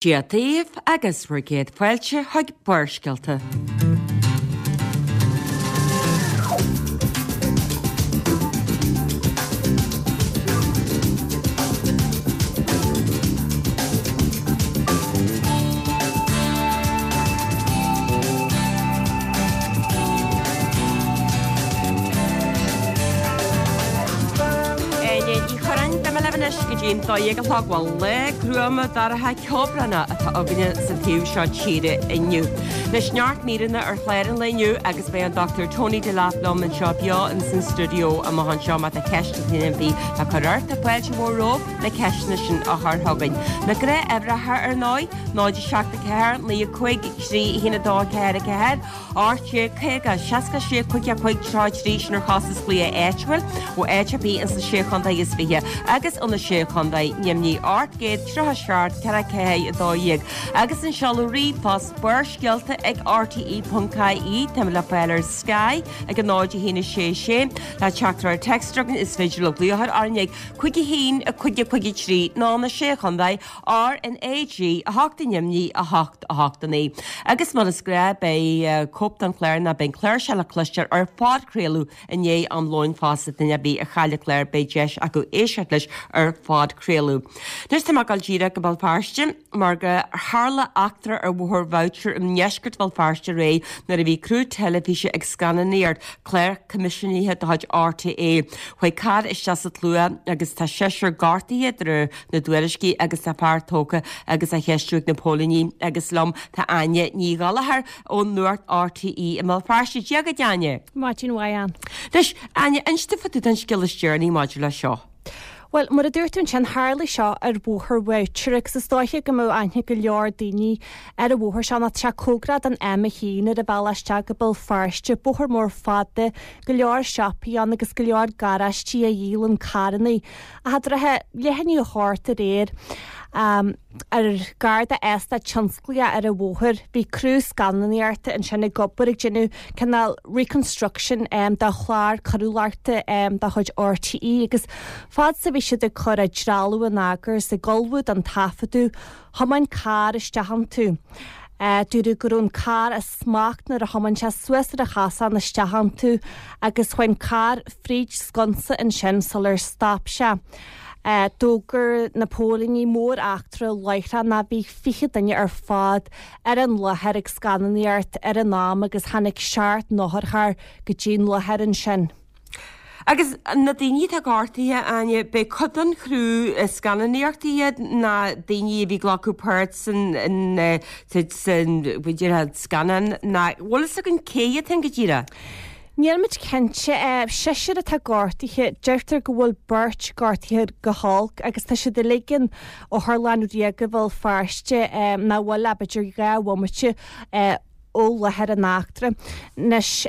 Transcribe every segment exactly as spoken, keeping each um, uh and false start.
Dia daoibh agus bhur gcéad fáilte chuig Barrscéalta. Áine Ní Churráin, beidh mé libh anois go dtí an dó dhéag a chlog. Bhuel, lá gruama dorcha ceobhránach atá againne sa taobh seo tíre inniu. Anois neart míreanna ar chlár an lae inniu agus beidh an Dochtúir Tony Delap liom anseo beo ins an stiúideo amach anseo má tá ceist ar bith le cur ort, tá fáilte mhór romhat na ceisteanna sin a chur chugainn. Na gnáthuimhreacha ar ndóigh, náid a seacht a ceathair, naoi a cúig, trí a haon a dó a ceathair a ceathair, ocht déag caoga, seasca sé cúig a cúig tríocha a trí, sin ar chostas glaoch áitiúil ó áit ar bith ins na Sé Chontae is Fiche agus ó na Sé Chontae Nimhní ocht gcéad tríocha seacht ceithre ceathair a dó dhéag agus an seoladh ríomhphost Barrscéalta ag R T E ponc I E. Táimid le fáil ar Sky ag a náid a haon a sé sé le teachtaireacht téacs chugainn is féidir libh glaoch orainn ag cúig a haon a cúig a cúig a trí nó na Sé Chontae R N A G a hocht i nDoimní a hocht a hocht a naoi. Agus mar is gnáth beidh cóip den chlár nó beidh an clár seo le cloisteáil ar phodchraoladh i ndiaidh am lóin fosta duine ar bith a chaill an clár beidh deis acu éisteacht leis ar phodchraoladh. Anois tá mé ag dul díreach go Béal Feirste mar go tharla eachtra ar Bhóthar Bhoucher i ndeisceart Bhéal Feirste aréir nuair a bhí criú teilifíse ag scannánaíocht clár coimisiúnaithe de chuid R T É. Chuaigh carr isteach sa tslua agus tá seisear gortaithe de réir na dtuairiscí agus tá fear tógtha agus á cheistiú ag na póilíní agus liom tá Áine Ní Ghallchóir ón Nuacht R T É i mBéal Feirste. Dia dhuit, Áine. Maidin mhaith, Ann. Anois, Áine, inis domh fá dtaobh den scéal is deireanaí maidir leis seo. Bhuel, mar a dúirt tú ansin, tharla seo ar Bhóthar Bhoucher agus is dóiche go mbeadh aithne go leor daoine ar an bhóthar seo nó tá sé cóngarach don M a haon ar an bhealach isteach go Béal Feirste, bóthar mór fada, go leor siopaí ann agus go leor garáistí a dhíolann carrannaí. Ach i dtrátha leath i ndiaidh a hocht aréir, ar gar d'eastát tionsclaíoch ar an bhóthar. Bhí criú scannánaíochta ansin ag obair ag déanamh cineál reconstruction de chlár coiriúlachta de chuid R T É agus fad is a bhí siad ag cur a dtrealamh in eagar is ag ullmhú don taifeadadh, thiomáin carr isteach iontu. Dúradh go raibh an carr as smacht nuair a thiomáin sé suas ar an chosán isteach iontu agus chuaigh an carr fríd sconsa ansin sular stop sé. D'fhógair na póilíní mór-eachtra láithreach ná bhí fiche duine ar fad ar an láthair ag scannánaíocht ar an am agus tháinig seacht n-otharcharr go dtí an láthair ansin. Agus na daoine atá gortaithe, Áine, b'é cuid den chriú scannánaíochta iad ná daoine a bhí ag glacadh páirt san san b'fhéidir scannán ná bhfuil fhios againn cé hiad féin go díreach? Nílimid cinnte. Seisear atá gortaithe. Deirtear go bhfuil beirt gortaithe go holc agus tá siad uilig in Otharlann Ríoga Bhéal Feirste nach bhfuil ach b'fhéidir dhá bhomaite ó láthair an eachtra. Anois,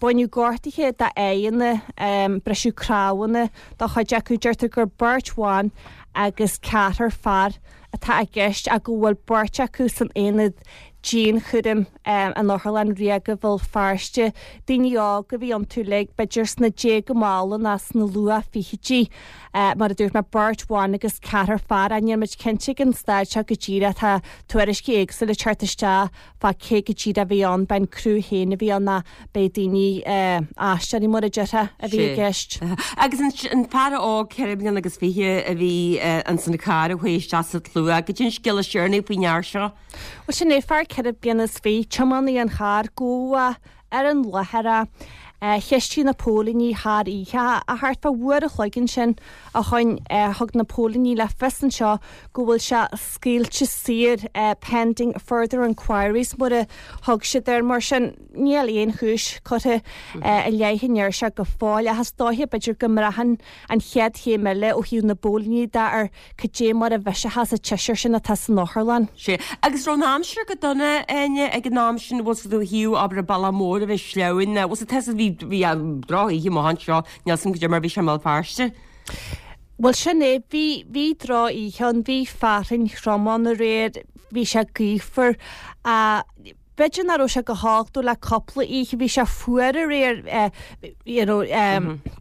baineadh gortuithe dá aghaidheanna, briseadh cnámhanna do chuid acu. Deirtear gur beirt bhan agus ceathrar fear atá i gceist ach go bhfuil beirt acu san aonad dianchúraim in Otharlann Ríoga Bhéal Feirste. Daoine óga a bhí iontu uilig, b'fhéidir sna déaga malla nó sna luath-fhichidí. Mar a dúirt mé, beirt bhan agus ceathrar fear. Ach níl muid cinnte ag an staid seo go díreach. Tá tuairiscí éagsúla ag teacht isteach fá cé go díreach a bhí ann, b'é an criú féin a bhí ann nó b'é daoine aisteoirí mar a déarfá a bhí i gceist. Agus an fear óg ceithre bliana agus fiche a bhí ins an charr a chuaigh isteach sa tslua, goidé an scéal is deireanaí faoin fhear seo. Bhuel sin é, fear ceithre bliana is fiche, tiománaí an chairr, gabhadh ar an láthair é. Cheistigh na póilíní thar oíche ach thart fá uair a chloig ansin ó shoin thug na póilíní le fios anseo go bhfuil sé scaoilte saor pending further inquiries mar a thug siad air. Mar sin níl aon chúis curtha i leith an fhir seo go fóill ach is dóiche b'fhéidir go mbraitheann an chéad chéim eile ó thaobh na bpóilíní de ar cad é mar a bheidh sé sa tseisear sin atá san otharlann. Sea. Agus raibh an aimsir go dona, Áine, ag an am sin, bhfuil 's agat ó thaobh abair an bealach mór a bheith sleamhain, bhfuil 's agat bhí bhí drochoíche amach anseo, níl 's agam cad é mar bhí sé i mBéal Feirste. Bhuel sin é, bhí bhí drochoíche ann, bhí fearthainn throm ann aréir, bhí sé gaofar. B'fhéidir nach raibh sé go holc dó le cúpla oíche, bhí sé fuar aréir, you know,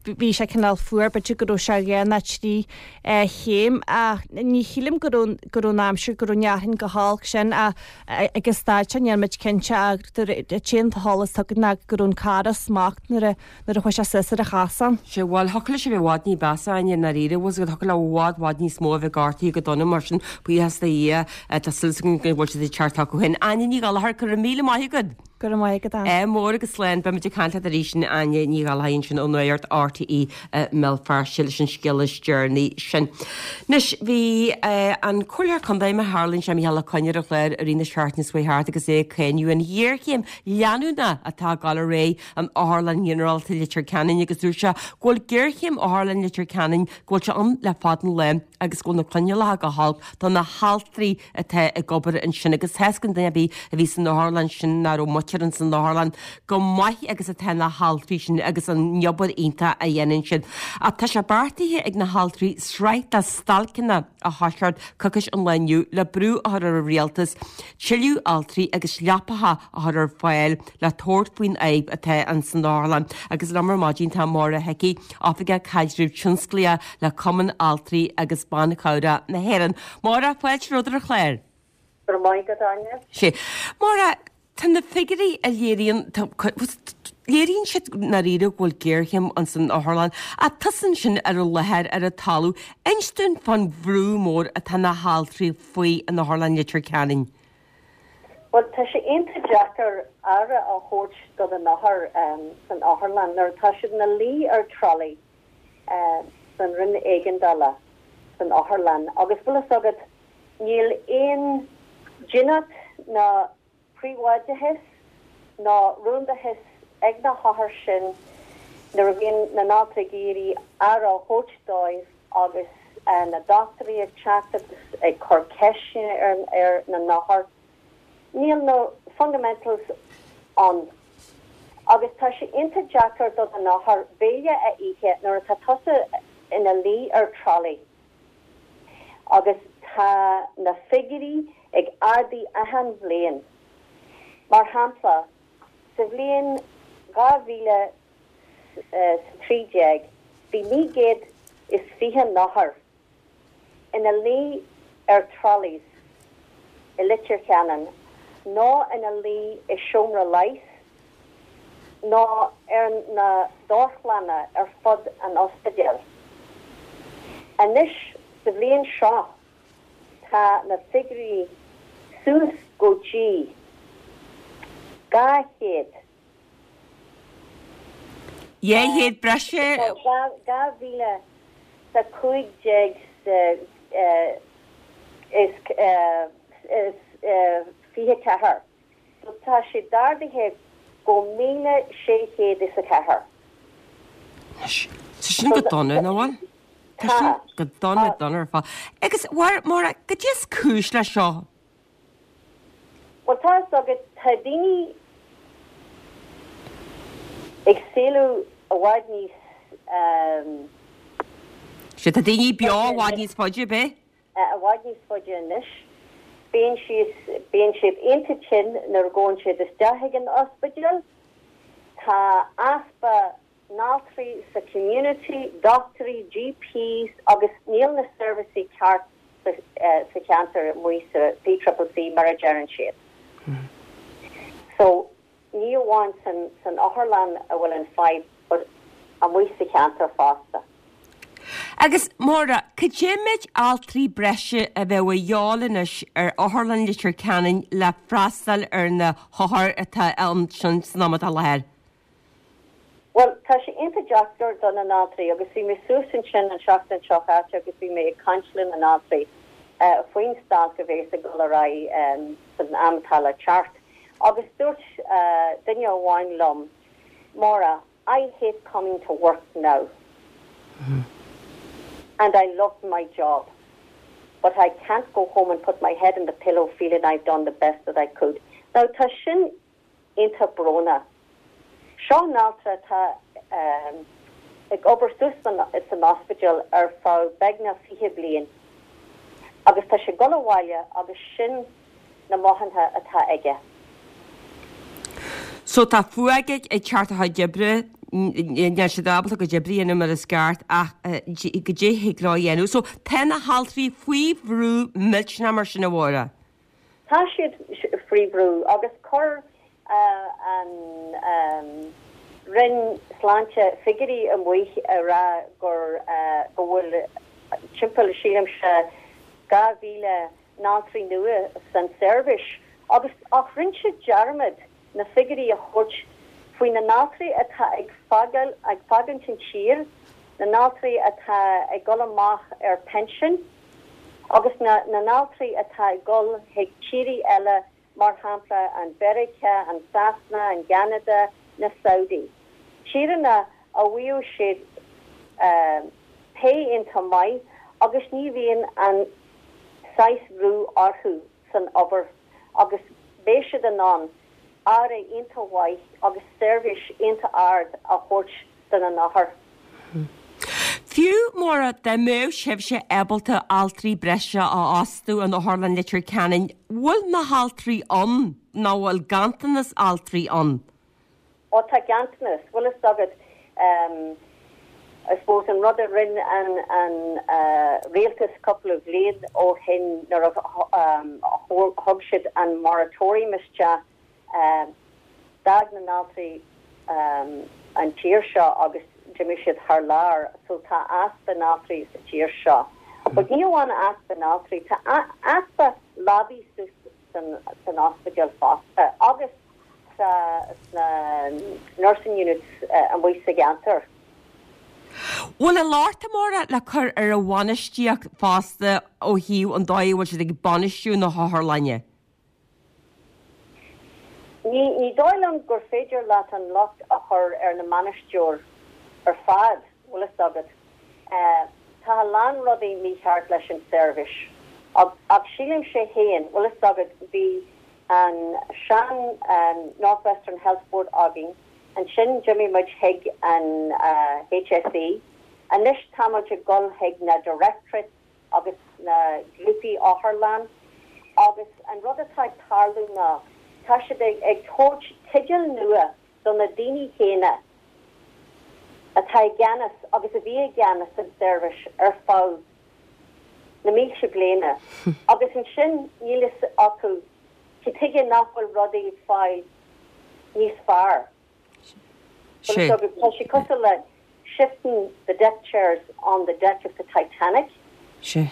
bhí sé cineál fuar, b'fhéidir go raibh sé dhá nó trí chéim ach ní shílim go raibh go raibh an aimsir go raibh an fhearthainn go holc sin ach ag an staid seo níl muid cinnte ach an t-aon t-eolas atá againn ná go raibh an carr i smacht nuair a nuair a chuaigh sé suas ar an chasán. Sea, bhuel, thiocfadh leis a bheith i bhfad ní b'mheasa, i ndáiríre, bhfuil a fhios agat, thiocfadh le i bhfad, bhfad níos mó a bheith gortaithe go dona mar sin, buíochas do Dhia, tá súil againn go bhfuil siad ag teacht chucu féin. Áine Ní Ghallchóir, go raibh míle maith agat! Go raibh maith agat, Ann. Ádh mór agus slán. Beimid ag caint leat arís, Áine Ní Ghallchóir ansin ó Nuacht RTÉ i mBéal Feirste leis an scéal is deireanaí sin. Anois, bhí an Comhairleoir Contae má tharlaíonn sé Mícheál Ó Coinn ar an chlár i rith na seachtaine seo thart agus é ag cáineadh an ghéarchéim leanúnach atá ag dul ar aghaidh in Otharlann Ghinearálta Leitir Ceanainn agus dúirt sé go bhfuil géarchéim Otharlann Leitir Ceanainn go bhfuil sé ann le fada an lá agus go bhfuil na coinníollacha go holc do na haltraí atá ag obair ansin agus tá a fhios ag duine ar bith a bhí san otharlann sin nach raibh muintir ins an otharlann chomh maith agus atá na haltraí sin agus an obair iontach a dhéanann siad. Ach tá sé beartaithe ag na haltraí sraith de stailceanna a thoiseacht coicís ón lá inniu le brú a chur ar an rialtas tuilleadh altraí agus leapacha a chur ar fáil le tabhairt faoin fhadhb atá ins an otharlann. Agus liom ar maidin tá Máire Hickey, Oifigeach Caidrimh Tionsclaíoch le Cumann Altraí agus Ban Cabhrach na hÉireann. Máire, fáilte romhat ar an chlár. Go raibh maith agat, Áine. Sea. Máire, tá na figiúirí a léiríonn, léiríonn siad i ndáiríre go bhfuil géarchéim ins an otharlann, ach tusa ansin ar an láthair, ar an talamh, inis dúinn fán bhrú mór atá na haltraí faoi in Otharlann Leitir Ceanainn. Bhuel, tá sé iontach deacair aire a thabhairt do na n-othair san otharlann nuair atá siad ina luí ar trolley san roinn éigeandála san otharlann agus bhfuil fhios agat, níl aon dínit ná príobháideachas ná rúndachas ag na hothair sin nuair a bhíonn na n-altraí ag iarraidh aire a thabhairt dóibh agus na dochtúirí ag teacht agus ag cur ceisteanna ar na n-othair. Níl na fundamentals ann agus tá sé iontach deacair do na n-othair béile a ithe nuair atá tusa ina luí ar trolley agus tá na figiúirí ag ardú achan bhliain. Mar shampla, sa bhliain dhá mhíle 's a trí déag bhí naoi gcéad is fiche n-othar ina luí ar trolleys i Leitir Ceanainn nó ina luí i seomra leighis nó ar na dorchlanna ar fud an ospidéil. Anois sa bhliain seo tá na figiúirí suas go dtí dhá chéad. Dhá chéad breise. Dhá mhíle 's a cúig déag is fiche ceathair. So tá sé d'ardaithe go míle sé chéad is a ceathair. Anois, tá sin go dona, nach bhfuil? Tá sin go dona, dona ar fad. Agus, Máire, cad é is cúis leis seo? Bhuel, tá fhios agat, tá daoine ag saolú i bhfad níos. Sea, tá daoine beo i bhfad níos faide, ab é? I bhfad níos faide anois. Bíonn siad, bíonn siad iontach tinn nuair a ghabhann siad isteach ag an ospidéal. Tá easpa n-altraí sa community, dochtúirí, GPs agus níl na seirbhísí ceart sa cheantar amuigh sa P-triple-C mar a deireann siad. So ní amháin san san otharlann a bhfuil an fadhb but amuigh sa cheantar fosta. Agus Máire, cad é méid altraí breise a bheadh a dhíobháil anois ar Otharlann Leitir Ceanainn le freastal ar na hothair atá ansin san am atá i láthair? Bhuel, tá sé iontach deacair do na n-altraí agus bhí mé suas ansin an seachtain seo chaite agus bhí mé ag caint le na n-altraí faoin stailc a bhéas ag dul ar aghaidh san am atá le teacht agus dúirt duine amháin liom, Máire, I hate coming to work now and I love my job but I can't go home and put my head in the pillow feeling I've done the best that I could. Now tá sin iontach brónach. Seo an-altra atá ag obair suas san ospidéal ar feadh beagnach fiche bliain agus tá sé ag dul abhaile agus sin na mothúcháin atá aige. So tá fuath ag teacht a chuid oibre, níl siad ábalta a gcuid oibre a dhéanamh mar is ceart ach goidé a thig leo a dhéanamh. So tá na haltraí faoi bhrú millteanach mar sin a Mháire. Tá siad faoi bhrú agus chuir an Roinn Sláinte figiúirí amuigh a rá gur go bhfuil timpeall sílimse dhá mhíle n-altraí nua san seirbhís agus ach rinne siad dearmad na figiúirí a thabhairt faoi na n-altraí atá ag fágáil ag fágaint an tír, na n-altraí atá ag dul amach ar pension agus na na n-altraí atá ag dul chuig tírí eile mar shampla an Mheiriceá, an Sasana, an gCeanada, na Saudi. Tíreanna a bhfuil siad pay iontach maith agus ní bhíonn an saghas brú orthu san obair agus beidh siad in ann aire iontach mhaith agus seirbhís iontach ard a thabhairt do na n-othar. Fiú mura dá mbeadh sibhse ábalta altraí breise a fhostú in Otharlann Leitir Ceanainn, bhfuil na haltraí ann nó bhfuil ganntanas altraí ann? Ó tá ganntanas, bhfuil fhios agat I suppose an rud a rinne an an rialtas cúpla bhliain ó shin nuair a thug siad an moratorium isteach d'fhág na n-altraí an tír seo agus d'imigh siad thar lear so tá easpa n-altraí sa tír seo. But ní amháin easpa n-altraí, tá easpa leabaí san san ospidéal fosta agus sa sna nursing units amuigh sa gceantar. Bhfuil an locht a Mháire le cur ar an bhainistíocht fosta ó thaobh an dóigh a bhfuil siad ag bainistiú na hotharlainne? Ní ní dóigh liom gur féidir leat an locht a chur ar na mbainisteoir ar fad, bhfuil fhios agat. Tá a lán rudaí mícheart leis an seirbhís. Ach sílimse féin, bhfuil fhios agat, bhí an sean North Western Health Board againn, ansin d'imigh muid chuig an HSE, anois tá muid ag dul chuig na directorates agus na grúpaí otharlann agus an rud atá ag tarlú ná tá siad ag ag tabhairt teideal nua do na daoine céanna atá i gceannas agus a bhí i gceannas an seirbhís ar feadh na mílte bliana agus ansin níl fhios acu cad chuige nach bhfuil rudaí ag fáil níos fearr. Sé. Tá sé cosúil le shifting the deck chairs on the deck of the Titanic. Sé.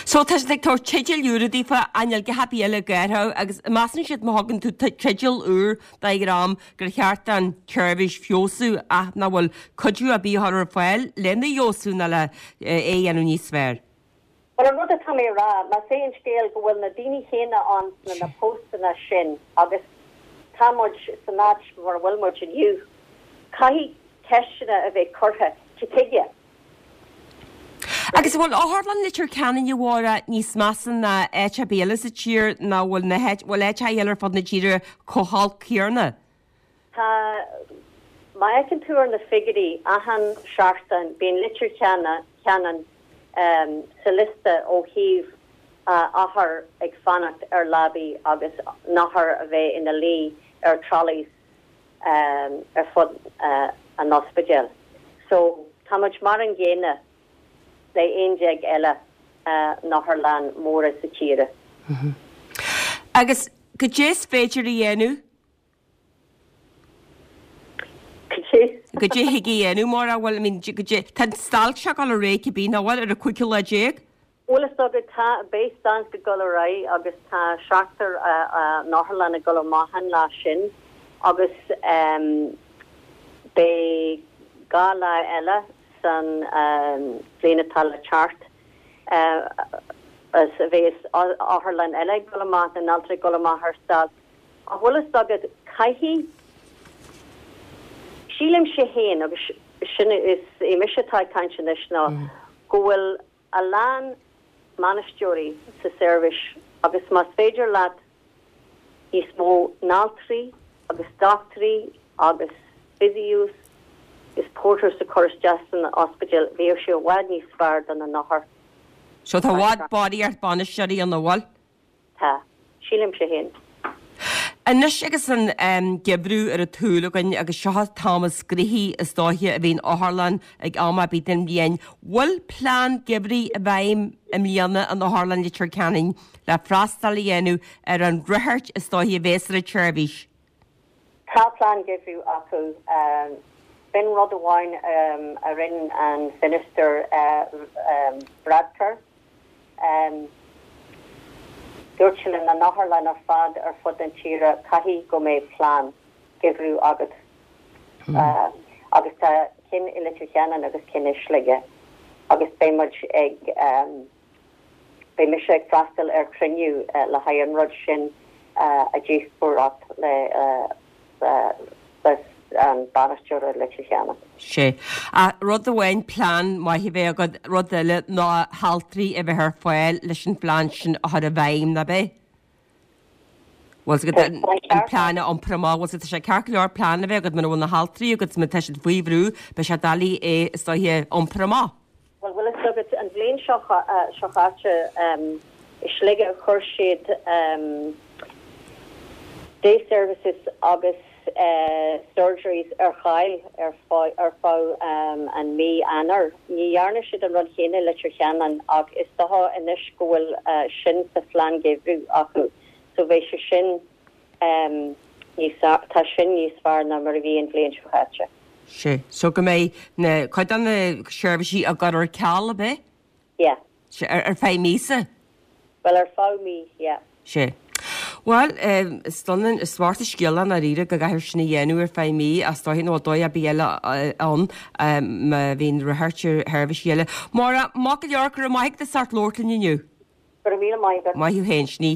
So tá siad ag tabhairt teideal úr daofa ainneoin gach ar bith eile gairthe agus measann siad má thugann tú teideal úr do dhream gur cheart an tseirbhís feabhsú ach nach bhfuil cuidiú ar bith á chur ar fáil lena fheabhsú ná le é a dhéanamh níos fearr. Well an rud atá mé a rá, más é an scéal go bhfuil na daoine chéanna ann sna na postanna sin agus tá muid san áit mar a bhfuil muid inniu, caithfidh ceisteanna a bheith curtha, cad chuige? Agus an bhfuil Otharlann Leitir Ceanainn a Mháire níos measa ná áit ar bith eile sa tír nó bhfuil na bhfuil áiteacha eile ar fud na tíre chomh holc céanna? Tá, má fheiceann tú ar na figiúirí achan seachtain bíonn Leitir Ceanainn sa liosta ó thaobh othar ag fanacht ar leabaí agus n-othar a bheith ina luí ar trolleys ar fud an ospidéil. So tá muid mar an gcéanna le aon déag eile n-otharlann móra sa tíre. Agus goidé is féidir a dhéanamh? Goidé thig a dhéanamh mar a bhfuil, I mean, goidé, tá an stailc seo ag dul ar aghaidh cibé, nach bhfuil, ar an cúigiú lá déag? Bhuel is dócha, tá, beidh stailc ag dul ar aghaidh agus tá seachtar n-otharlann ag dul amach an lá sin agus beidh dhá lá eile san bhliain atá le teacht is a bheas otharlann eile ag dul amach, na n-altraí ag dul amach ar stailc. Ach bhfuil fhios agat, caithfidh, sílimse féin agus sin is é mise atá ag caint anois ná go bhfuil a lán mbainisteoirí sa seirbhís agus más féidir leat níos mó n-altraí agus dochtúirí agus physios is porters a chur isteach san ospidéal bheadh sé i bhfad níos fearr do na n-othair. So tá i bhfad barraíocht bainisteoirí ann, an bhfuil? Tá. Sílimse féin. Anois agus an geimhreadh ar an tsúil againn agus seo an t-am is gnoithí is dóiche a bhíonn otharlann ag am ar bith den bhliain, bhfuil plean geimhridh i bhfeidhm i mbliana in Otharlann Leitir Ceanainn le freastal a dhéanamh ar an ráchairt is dóiche a bhéas ar an tseirbhís? Tá plean geimhridh acu. B'in rud amháin a rinne an Minister Varadkar. Dúirt sé le na otharlann ar fad ar fud na tíre caithfidh go mbeidh plean geimhridh agat. Agus tá cinn i Leitir Ceanainn agus cinn i Sligeach agus beidh muid ag beidh mise ag freastal ar chruinniú le haghaidh an rud sin a dhíospóireacht le le an bainisteoir i Leitir Ceanainn. Sé. Rud amháin plean maith a bheith agat, rud eile ná haltraí a bheith ar fáil leis an phlean sin a chur i bhfeidhm, nach ea? Bhfuil an plean a iompar amach, bhfuil tá sé ceart go leor plean a bheith agat mura bhfuil na haltraí agat má tá siad faoi bhrú, beidh sé doiligh é is dóiche a iompar amach. Bhuel, bhfuil fhios agat an bhliain seo seo caite i Sligeach chuir siad day services agus surgeries ar ceal ar ar feadh an mí Eanáir. Ní dhearna siad an rud céanna Leitir Ceanainn ach is dócha anois go bhfuil sin sa phlean geimhridh acu, so bheidh sé sin níos tá sin níos fearr ná mar a bhí an bhliain seo caite. Sé, so go mbeidh na cuid de na seirbhísí á gcur ar ceal ab ea? Yeah. Sé, ar ar feadh míosa? Well ar feadh mí, yeah. Sé. Bhuel, is dona is bocht an scéal é ndáiríre go gcaithfear sin a dhéanamh ar feadh mí is dóiche nó dóigh ar bith eile ann má bhíonn ráchairt ar sheirbhísí eile. Máire, maith go leor, go raibh maith agat as ucht labhairt linn inniu. Go raibh míle maith agat. Maith thú féin, sin í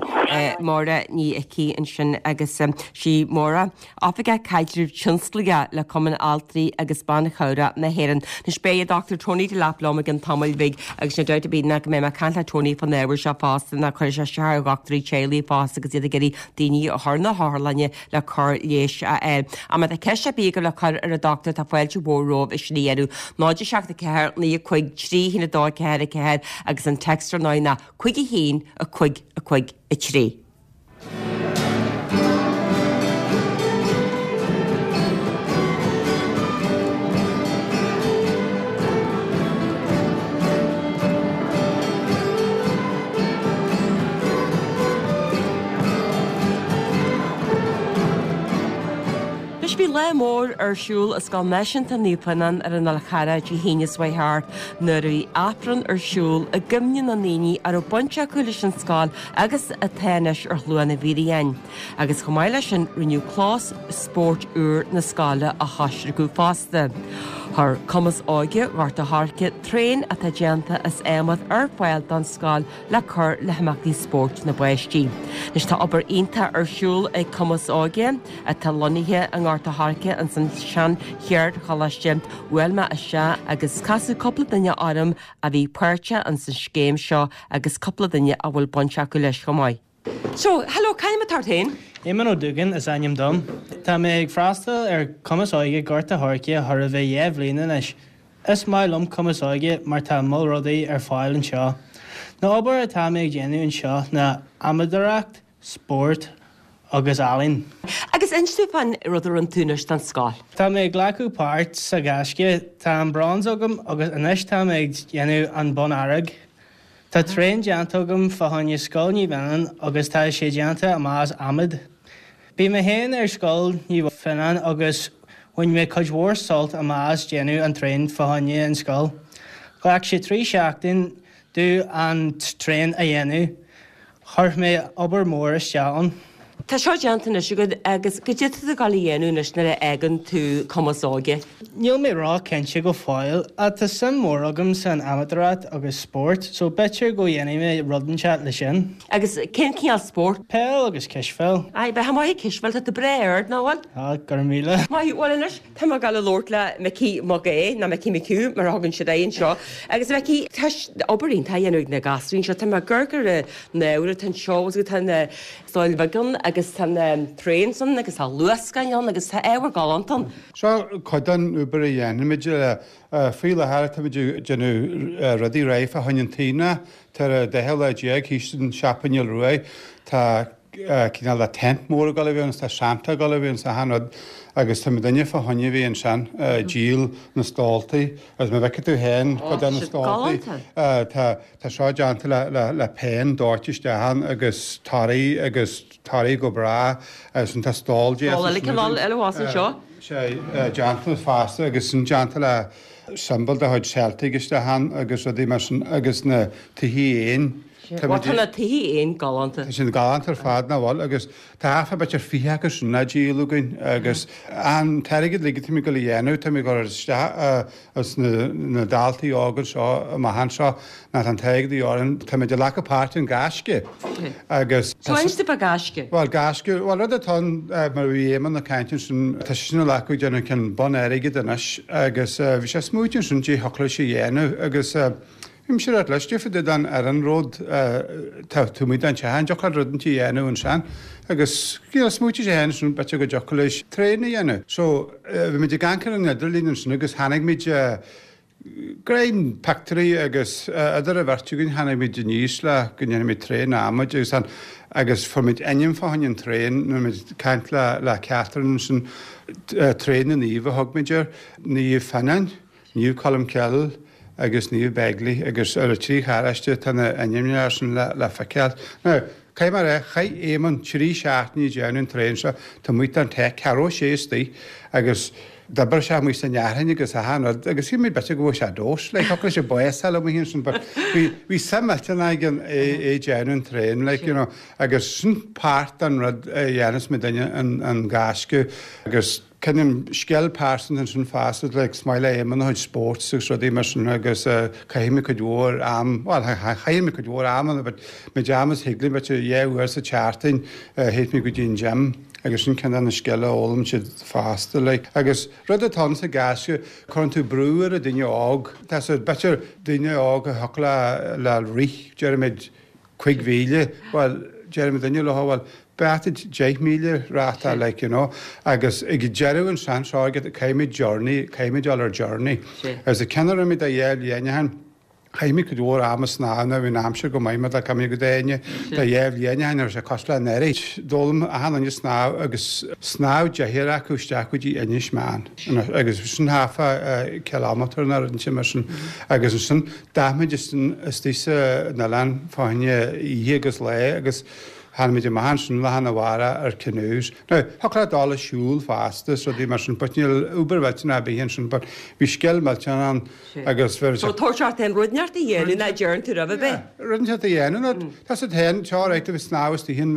Máire Ní Icí ansin agus sí Máire, Oifigeach Caidrimh Tionsclaíoch le Cumann Altraí agus Ban Chabhrach na hÉireann. Anois beidh an Dochtúir Tony Delap liom i gcionn tamaill bhig agus níl dabht ar bith ná go mbeidh mé ag caint le Tony fán ábhar seo fosta ná cuirfidh sé isteach ar dhochtúirí teaghlaigh fosta agus iad ag iarraidh daoine a chur na hotharlainne le cóir leighis a fháil. Ach má tá ceist ar bith agaibh le cur ar an dochtúir tá fáilte mhór romhaibh é sin a dhéanamh. náid a seacht a ceathair naoi a cúig trí haon a dó ceathair a ceathair agus an text ar ndóigh ná cúig a haon a cúig a cúig a trí. Anois bhí lá mór ar siúl i Scoil Náisiúnta Naomh Fionán ar an Fhál Charrach Dé hAoine seo chuaigh thart nuair a bhí Aifreann ar siúl i gcuimhne na ndaoine a raibh baint acu leis an scoil agus atá anois ar Shlua na bhFíréan. Agus chomh maith leis sin rinneadh clós spóirt úr na scoile a choisriceadh fosta. Chuir Cumas Óige Ghort a' Choirce traein atá déanta as adhmad ar fáil don scoil le cur le himeachtaí spóirt na bpáistí. Anois tá obair iontach ar siúl ag Cumas Óige atá lonnaithe i nGort a' Choirce ins an sean cheardcholáiste. Bhuail mé isteach agus casadh cúpla duine orm a bhí páirteach ins an scéim seo agus cúpla duine a bhfuil baint acu leis chomh maith. So, hello, c'ainm atá ort féin? Éamonn Ó Dúgáin is ainm dom. Tá mé ag freastal ar Cumas Óige Gort a' Choirce chóir a bheith dhá bhliain anois. Is maith liom Cumas Óige mar tá moll rudaí ar fáil anseo. Na obair atá mé ag déanamh anseo ná adhmadóireacht, spórt agus ealaín. Agus inis domh fán rud a rinne tú anois don scoil. Tá mé ag glacadh páirt sa Ghaisce, tá an bronze agam agus anois tá mé ag déanamh an bonn airg. Tá traein déanta agam fá choinne Scoil Naomh Fionán agus tá sé déanta amach as adhmad. Bhí mé féin ar Scoil Naomh Fionán agus bhain mé cuid mhór sult amach as déanamh an traein fá choinne an scoil. Ghlac sé trí seachtain domh an traein a dhéanamh. Chuir mé obair mór isteach ann. Tá seo déanta anois agat agus goidé atá tú ag dul a dhéanamh anois nuair a fhágann tú Cumas Óige? Níl mé ró-chinnte go fóill ach tá suim mór agam san adhmadóireacht agus spórt so b'fhéidir go dhéanfaidh mé rud inteacht le sin. Agus cén cineál spórt? Peil agus cispheil. Aye, bheifeá maith ag cispheil, tá tú breá ard, nach bhfuil? Ah, go raibh míle. Maith thú, bhuel anois tá mé ag dul a labhairt le Micí Mac Aodha, nó Micí McHugh mar a thugann siad air anseo. Agus Micí, tá obair iontach á dhéanamh ag na gasúir anseo, tá mé ag amharc ar na hábhair atá anseo agus tá na stóil bheag ann agus tá na traeins ann agus tá luascáin ann agus tá ábhar galánta ann. Seo cuid den obair a dhéanaimid faoi láthair táimid ag déanamh rudaí réidh fá choinne an t-aonach. Tá ar an daichiú lá déag thíos an Siopa Neil Ruaidh. Tá cineál de tent mór ag dul a bheith ann, tá Santa ag dul a bheith ann, achan rud agus tá muidinne fá choinne bheith ansin ag díol na stóltaí agus má bhfeicfidh tú féin cuid de na stóltaí tá tá seo déanta le le le peann dóite isteach ann agus torthaí agus torthaí go breá agus tá stól déanta Stól eile cineál eile abhus anseo. Sé déanta fosta agus sin déanta le siombail de chuid Celtic isteach ann agus rudaí mar sin agus na tithí éin. Bhuel tá na tithí éin galánta. Tá siad galánta ar fad nach bhfuil agus tá thart fá b'fhéidir fiche acu sin á díol againn agus an t-airgead uilig atá muid ag dul a dhéanamh tá muid ag cur isteach ins na daltaí óga seo amach anseo ná tá an t-airgead a dhíth orainn tá muid ag glacadh páirt in Gaisce agus So inis domh fá Gaisce. Bhuel Gaisce, bhuel rud atá ann mar a bhí Éamonn ag caint ansin tá sé sin ag glacadh ag déanamh ceann bonn airgid anois agus bhí sé ag smaoitiú ansin caidé thiocfadh leis a dhéanamh agus Bhí mise ag ráit leis, difear duit an ar an ród tá tú amuigh den teach, an dtiocfadh leat rud inteacht a dhéanamh ansin? Agus you know smaoitigh sé féin ansin b'fhéidir go dtiocfadh leis traein a dhéanamh. So bhí muid ag amharc ar an idirlíon ansin agus tháinig muid greim pictiúirí agus idir an bheirt againn tháinig muid aníos le go ndéanfaidh muid traein adhmaid agus an agus fuair muid ainm fá choinne an traein nuair muid ag caint le le Catherine ansin traein na naomh a thug muid air, Naomh Fionnán. Naomh Colm Cille agus Naomh Begley agus ar na trí charráiste tá na ainmneacha sin le feiceáil. Now, caithfidh mé a rá, chaith Éamonn trí seachtainí ag déanamh an traein seo, tá amuigh den teach, cha raibh sé istigh agus d'oibrigh sé amuigh san fhearthainn agus achan rud agus shíl mé b'fhéidir go bhfuair sé dós, like, thiocfadh leis an bás a fháil amuigh ansin but bhí, bhí suim millteanach aige é, é déanamh an traein, like, you know, agus sin páirt den rud a dhéanas muidinne an, an gaisce agus Cineál scil pearsanta ansin fosta, like is maith le Éamonn a chuid sports agus rudaí mar sin agus caithfidh mé cuid mhór am, bhuel chaith mé cuid mhór ama but méid ama is thig linn b'fhéidir dhá uair sa tseachtain théadh mé go dtí an gym agus sin ceann de na scileanna a fhoghlaim siad fosta like. Agus rud atá ann sa gaisce, cuireann tú brú ar an duine óg, tá siad b'fhéidir duine óg a thiocfadh le le rith déarfaimid cuig mhíle, bhuel déarfaimid duine leo bhuel Beart deich míle ráta like you know agus ag deireadh an sean seo agat caithfimid journey, caithfimid dul ar journey. Agus an ceann a rinne muid do dhá bhliain ó shin, chaith muid cuid mhór ama snámh now bhí an aimsir go maith mar tá mé go déine do dhá bhliain ó shin raibh sé cosúil le anuraidh. D'fhoghlaim achan duine snámh agus shnámh deichniúr acu isteach go dtí Inis Meáin agus sin thart fá kilometre nó rud inteacht mar sin agus ansin d'fhan muid istigh san oileán fá choinne oíche agus lae agus Tháinig muid amach ansin lá arna mhárach ar canoes. Now, thiocfadh leat dul ag siúl fosta is rudaí mar sin but níl obair mhillteanach ar bith ansin but bhí scil millteanach ann agus bhí So tabhairt ort féin rud inteacht a dhéanamh ná deireann tú roimh a bheith. Yeah, rud inteacht a dhéanamh nó tá siad féin, tá alright a bheith snámh istigh in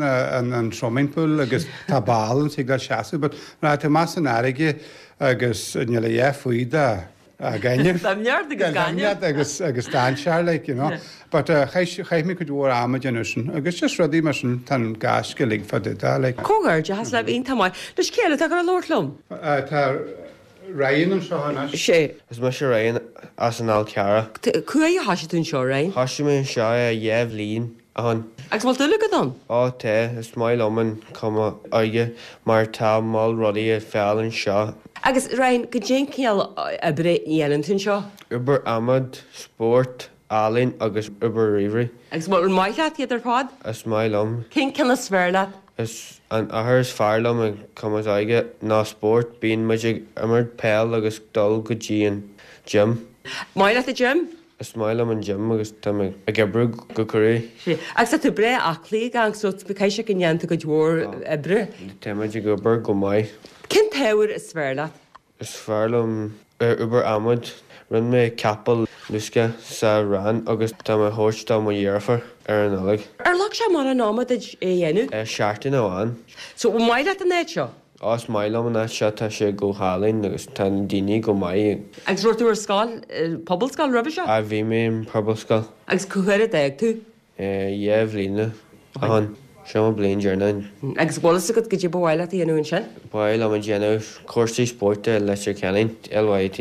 an swimming pool agus tá ball ann thig leat seasamh but nuair atá tú amach san fharraige agus níl a dhath faoi do Gaineamh. Doimhneacht agus gaineamh. Doimhneacht agus agus dainséar like you know. But uh, chaith chaith mé cuid mhór ama ag déanamh sin agus just rudaí mar sin tá an gaisce uilig fá dtaobh de like. Comhghairdeachas libh iontach maith. Anois cé eile atá ag dul a labhairt liom? Uh, tá Ryan anseo anois. Sé. Is mise Ryan as an Fhál Carrach. Cá huair a thoisigh tú anseo Ryan? Thoisigh mé anseo dhá bhliain ó shin. Agus bhfuil dúil agat ann? Ó tá, is maith liom an Cumann Óige mar tá moll rudaí ar fáil anseo. Agus Ryan, goidé an cineál oibre a dhéanann tú anseo? Obair adhmaid, spórt, ealaín agus obair ríomhairí. Agus bhfuil maith leat iad ar fad? Is maith liom. Cén ceann is fearr leat? Is an obair is fearr liom ag Cumann Óige ná spórt, bíonn muid ag imirt peil agus dul go dtí an gym. Maith leat an gym? Is maith liom an gym agus tá mé ag oibriú go crua. Sea. Agus tá tú breá aclaí ag amharc so caithfidh sé go ndéanann tú cuid mhór oibre. Tá muid ag obair go maith. Cén t-ábhar is fearr leat? Is fearr liom obair adhmaid. Rinne mé capall luasctha sa rang agus tá mé a thabhairt do mo dheirfiúr ar an Nollaig. Ar ghlac sé mórán ama duit é a dhéanamh? Seachtain amháin. So, an maith leat an áit seo? Ó is maith liom an áit seo, tá sé go hálainn agus tá na daoine go maith. Agus raibh tú ar scoil, pobalscoil roimhe seo? Á bhí mé in pobalscoil. Agus cá huair a d'fhág tú? Dhá bhliain ó shin. Seo mo bliain deireanach. Agus bhfuil fhios agat goidé ba mhaith leat a dhéanamh ansin? Ba mhaith liom a dhéanamh cúrsaí spóirt i Leitir Ceanainn, LYIT.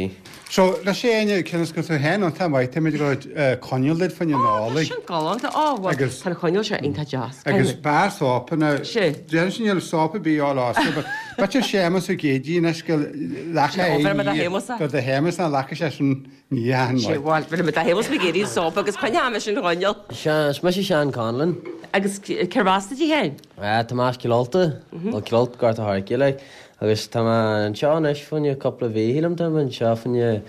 So, leis Áine, cionn is go tú féin iontach maith, táimid ag dul coinneal duit fá choinne Ó, tá Nollaig. sin galánta. Ó, bhuel, Agus- tá an choinneal seo iontach deas. Agus beár sópa na... Sé. Déarfainn sin níl sópa ar bith á loscadh, but b'fhéidir Séamus Ó Géidigh anois go leaca Sé, ó, bheir mé do Shéamus é. Do do Shéamus ná leaca sé sin ní dheathan Sé, maith. bhuel, bheir mé do Shéamus Mac Géidigh sópa agus coinneoidh mé sin an choinneal. Sea, is mise Seán Conlon Agus cérbh as duit féin? Tá mé as Cill Ulta, nó Cill Ulta Gort an Choirce, like, agus tá mé anseo anois fá choinne cúpla mhí, shílim, tá mé anseo fá choinne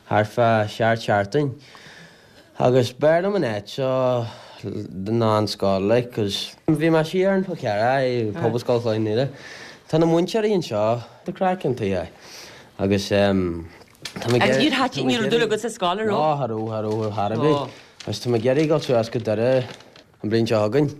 thart fá seacht seachtain. Agus b'fhearr liom an áit seo ná an scoil, like, 'cause bhí mé siar an Fhál Carrach i Pobalscoil Chloich Cheann Fhaola. Tá na múinteoirí anseo, tá craic iontach é. Agus em tá mé Agus níor thaitin, ní raibh dúil agat sa scoil, an raibh? Ná, cha raibh, cha raibh, char ar bith. Agus tá mé ag iarraidh dul suas go Doire an bhliain seo chugainn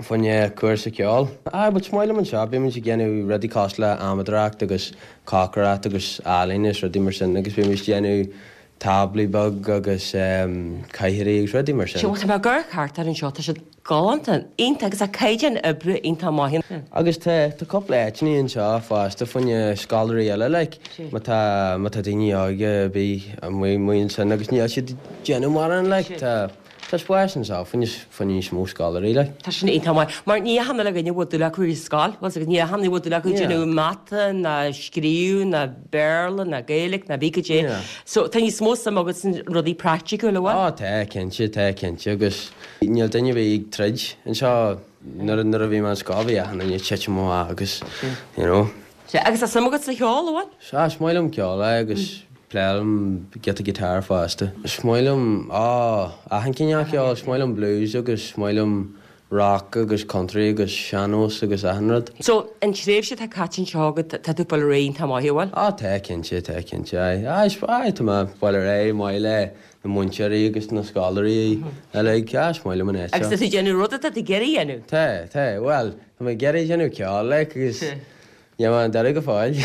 fá choinne cúrsa ceoil. Ah, but is maith liom anseo, bímid ag déanamh rudaí cosúil le amadóireacht agus cócaireacht agus ealaín is rudaí mar sin agus bímid ag déanamh táblaí beag agus cathaoirí agus rudaí mar sin. Sea, bhuel tá mé ag amharc thart air anseo, tá siad galánta, iontach agus tá caighdeán oibre iontach maith ann. Agus tá, tá cúpla áiteanna anseo fosta fá choinne scoláirí eile, like, má tá, má tá daoine óga ar bith amuigh, amuigh ansin agus níl siad ag déanamh mórán, like, tá, tá spás anseo fá choinne, fá choinne níos mó scoláirí, like. Tá sin iontach maith, mar ní achan uile dhuine a bhfuil dúil acu ar scoil, bhfuil 's agat, ní achan duine a bhfuil dúil acu ag déanamh mata ná scríobh ná Béarla ná Gaeilge ná bí cad é. Yeah. So tá níos mó suim agat sna rudaí praiticiúla, an bhfuil? Ó tá, cinnte, tá cinnte agus níl duine ar bith ag troid anseo nuair nuair a bhí mé in scoil bhí achan duine ag titim amach agus you know. Sea, agus tá suim agat sa cheol, an bhfuil? Sea, is maith liom ceol é agus pléilim giota guitar fosta. Is maith liom, á, achan cineál ceoil, is maith liom blues agus is maith liom rock agus country agus sean-nós agus achan rud. So, an tréimhse atá caite anseo agat, tá tú ag fáil ar aghaidh iontach maith, an bhfuil? Á, tá, cinnte, tá, cinnte, aye. Aye, is, aye, tá mé ag fáil ar aghaidh maith le na múinteoirí agus na scoláirí uilig, aye, is maith liom an áit Agus seo. tá tú ag déanamh rud atá tú ag iarraidh a dhéanamh? Tá, tá, bhuel, tá mé ag iarraidh déanamh ceoil, like, agus níl mé i nDoire go fóill.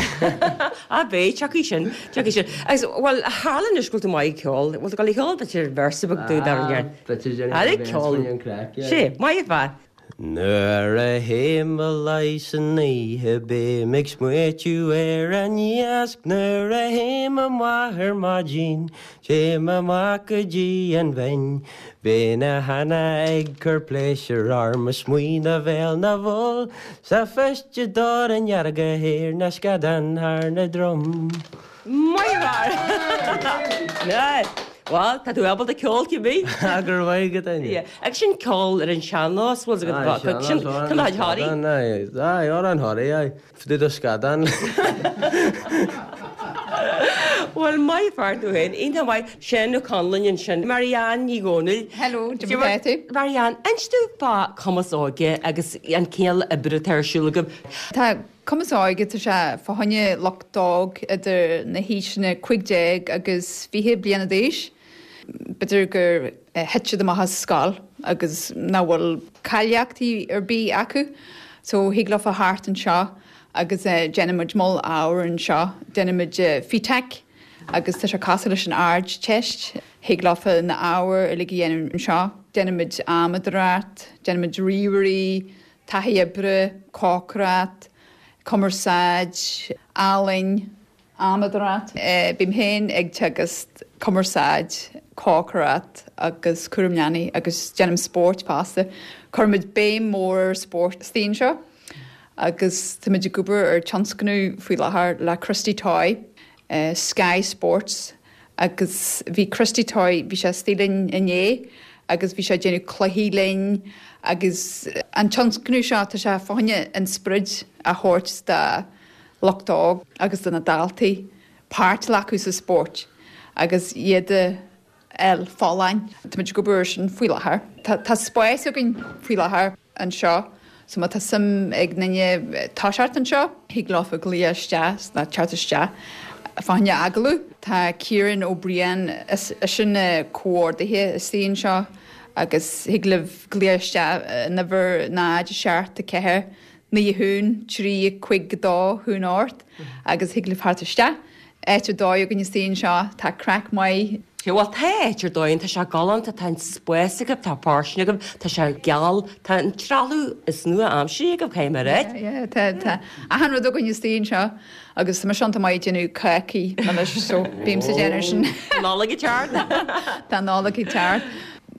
Á, beidh, tiocfaidh sin, tiocfaidh sin. Agus, bhuel, tharla anois go bhfuil tú maith ag ceol, bhfuil tú ag dul a cheol b'fhéidir véarsa beag dúinn dar ndóigh? B'fhéidir déanamh Aire véarsa ceol. an craic, yeah. Sé, maith ar fad. Nuair a théim a luí san oíche bím ag smaoitiú ar an iasc Nuair a théim amach ar maidin téim amach go dtí an bhinn Bíonn a hanna ag cur pléisiúr orm mo smaoineamh bhéal na bhfuil Sa feiste dor an dhearga théir na scadán thar na drom. Maith ar fad! Bhuel, tá tú ábalta ceol cibé. Go raibh maith agat, Áine. Agus sin ceol ar an sean-nós, bhfuil 's agat, sin Cnoc Thoraí. Aye, Amhrán Thoraí, aye. Fá dtaobh do scadán. Bhuel, maith fear tú féin, iontach maith. Seán Ó Conluain ansin. Marianne Ní Dhomhnaill. Hello, cad é mar atá tú? Marianne, inis dúinn fá Cumas Óige agus an cineál oibre atá ar siúl agaibh. Tá Cumas Óige, tá sé fá choinne lucht óg idir na haoiseanna cúig déag agus fiche bliana d'aois. B'fhéidir gur thit siad amach as scoil agus nach bhfuil cáilíochtaí ar bith acu so thig leofa theacht anseo agus déanaimid moll ábhar anseo. Déanaimid FETAC agus tá sé cosúil leis an Ardteist. Thig leofa na ábhair uilig a dhéanamh anseo. Déanaimid amadóireacht, déanaimid ríomhairí, taithí oibre, cócaireacht, cumarsáid, ealaín, amadóireacht. Bím féin ag teagasc cumarsáid, cócaireacht agus cúram leanaí agus déanaim spórt fosta. Cuirimid béim mór ar spórt istigh anseo agus táimid ag obair ar tionscnamh faoi láthair le Christy Toy, Sky Sports agus bhí Christy Toy, bhí sé istigh linn inné agus bhí sé ag déanamh cluichí linn agus an tionscnamh seo tá sé fá choinne an sprid a thabhairt do lucht óg agus do na daltaí páirt a ghlacadh sa spórt agus iad a fháil folláin. Táimid ag obair air sin faoi láthair. Tá tá spás againn faoi láthair anseo so má tá suim ag duine toiseacht anseo, thig leofa glaoch isteach nó teacht isteach fá choinne agallamh. Tá Ciarán Ó Briain, is eisean na comhordaithe istigh anseo agus thig libh glaoch isteach an uimhir náid a seacht a ceathair naoi a haon trí a cúig a dó haon ocht agus thig libh theacht isteach. Áit ar dóigh againn istigh anseo, tá craic maith. Sea, bhuel, tá áit ar dóigh ann, tá sé galánta, tá an spás agaibh, tá fóirstean agaibh, tá sé geal, tá an trealamh is nua-aimseartha agaibh, caithfidh mé a ráit. Yeah, yeah, tá, tá achan rud againn istigh anseo agus tá mise iontach maith ag déanamh cácaí anois so bímse ag déanamh sin. Nollaig ag teacht. Tá Nollaig ag teacht.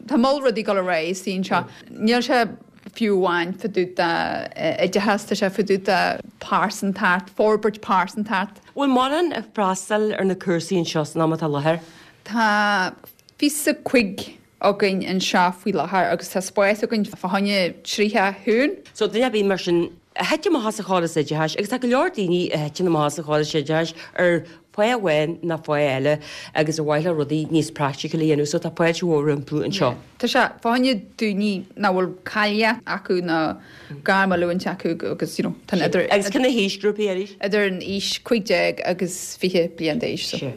Tá moll rudaí ag dul ar aghaidh istigh anseo. Níl sé fiú amháin fá dtaobh d'oideachas, tá sé fá dtaobh de pearsantacht, forbairt pearsantacht. Bhfuil mórán ag freastal ar na cúrsaí anseo san am atá i láthair? Tá fiche cúig againn anseo faoi láthair agus tá spás againn fá choinne tríocha hoon. So duine ar bith mar sin a thit amach as an chóras oideachais agus tá go leor daoine a thiteann amach as an chóras oideachais ar fáth amháin nó fáth eile agus ar mhaith leo rudaí níos praiticiúla a dhéanamh so tá fáilte mhór rompu anseo. Tá sé fá choinne daoine nach bhfuil cáilíocht acu nó gairmoiliúint acu agus you know tá idir Agus cén haoisghrúpaí arís? Idir an aois cúig déag agus fiche bliain d'aois. So.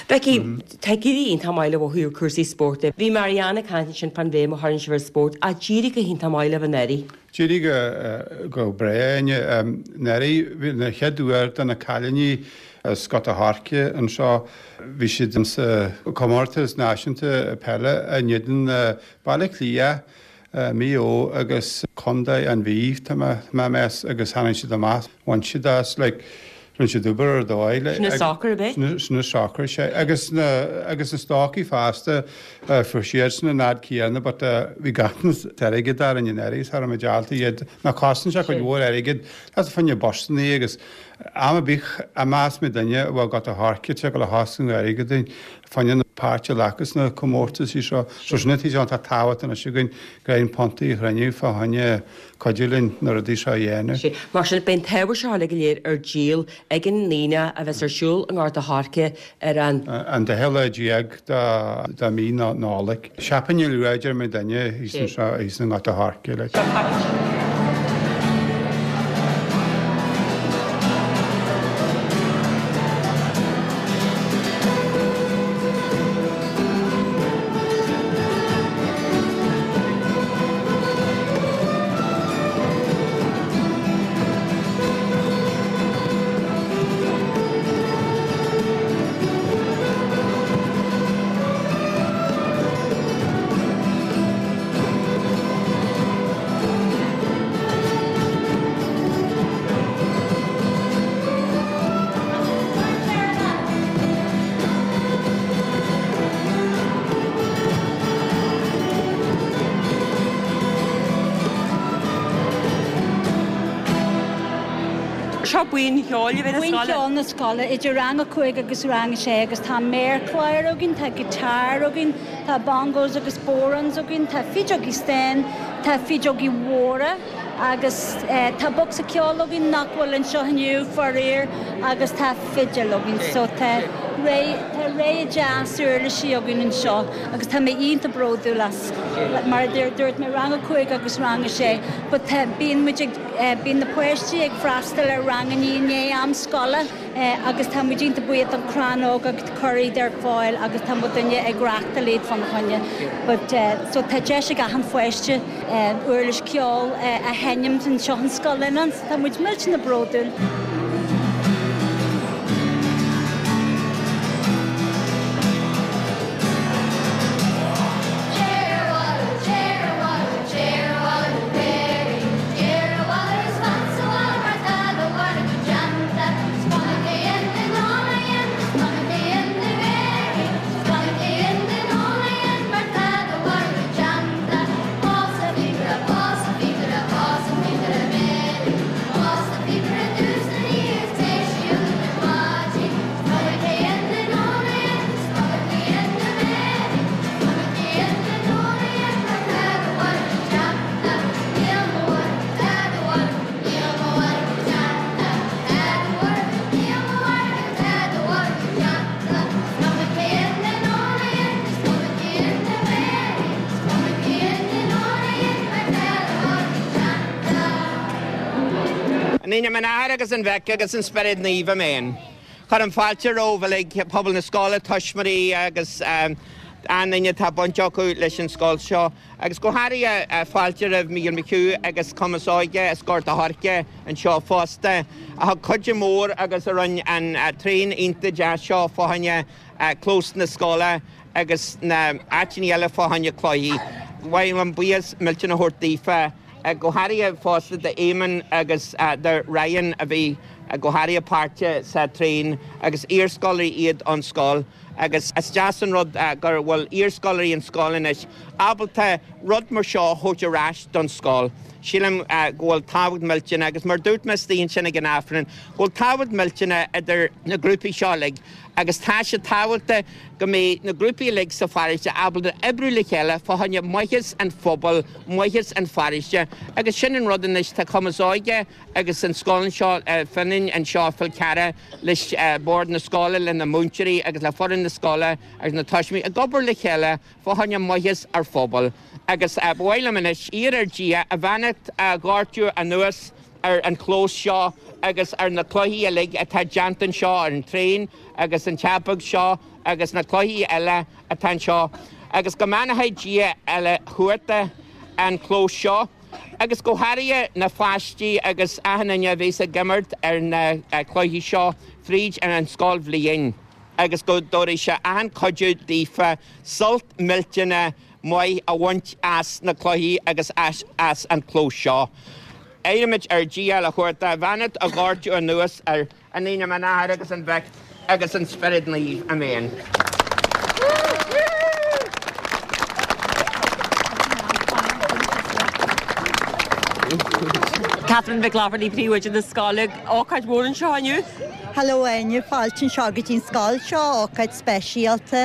Becky, tá ag éirí iontach maith libh ó thaobh cúrsaí spóirt de. Bhí Marianne ag caint ansin fán bhéim a chuireann sibh ar spórt ach d'éirigh go hiontach maith libh anuraidh. D'éirigh go breá anuraidh, bhí na chéad uair do na cailíní as Gort a' Choirce anseo, bhí siad sa comórtas náisiúnta peile in éadan Baile Átha Cliath, Maigh Eo agus Contae an Mhí, tá mé ag meas, agus tháinig siad amach, bhain siad as, like, rinne siad obair ar dóigh. Sin an soccer ab é? Sin an soccer, sea. Agus na, agus na stócaigh fosta, fuair siadsan an fhad céanna but bhí ganntanas airgid orainn anuraidh, cha raibh muid ábalta iad, nó cosnaíonn sé cuid mhór airgid, tá fá choinne busannaí agus am ar bith a mheas mé duine a bhfuil Gort a' Choirce ag dul a chosnú airgid dúinn fá choinne na páirt a ghlacadh sna comórtaisí seo. So sin an taobh atá tábhachtach anois againn, greim puntaí a chruinniú fá choinne cuidiú linn na rudaí seo a dhéanamh. Sea. Mar sin, beidh an t-ábhar seo uilig go léir ar díol ag an Aoine a bheas ar siúl i nGort a' Choirce ar an. An daichead lá déag de mhí na Nollag. Seachtain luath, deir mé duine thíos anseo, thíos i nGort a' Choirce, like. Seo buíon cheoil a bheith na Buíon scoile. cheoil na scoile idir rang a cúig agus rang a sé agus tá méarchlár againn, tá guitar againn, tá bongos agus bodhráns againn, tá fideogaí stáin, tá fideogaí mhóra agus tá bocsa ceoil againn nach bhfuil anseo inniu, faraor, agus tá fidil againn. So tá tá rogha deas uirlisí againn anseo agus tá mé iontach bródúil as. Mar a dúirt mé rang a cúig agus rang a sé, but tá bíonn muid ag bíonn na páistí ag freastal ar ranganna i ndiaidh am scoile agus tá muid iontach buíoch don Chrannóg ag cur iad ar fáil agus tá muid duine ag reáchtáil iad fána choinne. But so tá deis ag achan pháiste uirlis ceoil a sheinm anseo an scoil linn, tá muid millteanach bródúil. In ainm an Athar agus an Mhic agus an Spioraid Naoimh, Amen. Cuirim fáilte romhaibh uilig, pobal na scoile, tuismitheoirí agus aon duine atá baint acu leis an scoil seo, agus go háirithe fáilte roimh Mícheál McHugh agus Cumas Óige as Gort a' Choirce anseo fosta, a thug cuidiú mór agus a rinne an traein iontach deas seo fá choinne clós na scoile agus na áiteanna eile fá choinne cluichí. Ba mhaith liom buíochas millteanach a thabhairt daofa. Go háirithe fosta d'Éamonn agus do Ryan a bhí go háirithe páirteach sa traein agus iarscoláirí iad ón scoil agus is deas an rud gur bhfuil iarscoláirí an scoil anois ábalta rud mar seo a thabhairt ar ais don scoil. Sílim go bhfuil tábhacht millteanach agus mar dúirt mé istigh ansin ag an Aifreann, go bhfuil tábhacht millteanach idir na grúpaí seo uilig agus tá sé tábhachtach go mbeidh na grúpaí uilig sa pharóiste ábalta oibriú le chéile fá choinne maitheas an phobail, maitheas an pharóiste agus sin an rud anois tá Cumas Óige agus an scoil anseo Fionnán anseo Fál Carrach leis bord na scoile le na múinteoirí agus le foireann na scoile agus na tuismitheoirí ag obair le chéile fá choinne maitheas ar phobal agus ba mhaith liom anois iarraidh ar Dhia a bheannacht a dhoirteadh anuas ar an chlós seo agus ar na cluichí uilig atá déanta anseo ar an traein agus an teach beag seo agus na cluichí eile atá anseo agus go mbeannaí Dia uile chuarta an clós seo agus go háirithe na páistí agus achan duine a bheas ag imirt ar na cluichí seo fríd ar an scoilbhliain agus go dtabharfaidh sé achan chuidiú daofa sult millteanach maith a bhaint as na cluichí agus as as an clós seo. Iarraimid ar Dhia le chuairt a bheannacht a dhoirteadh anuas ar in ainm an Athar agus an Mhic agus an Spioraid Naoimh. Amen. Catherine Mhic Laifeartaigh, Príomhoide na scoile, ócáid mhór anseo inniu. Hello Áine, fáilte anseo go dtí an scoil seo, ócáid speisialta.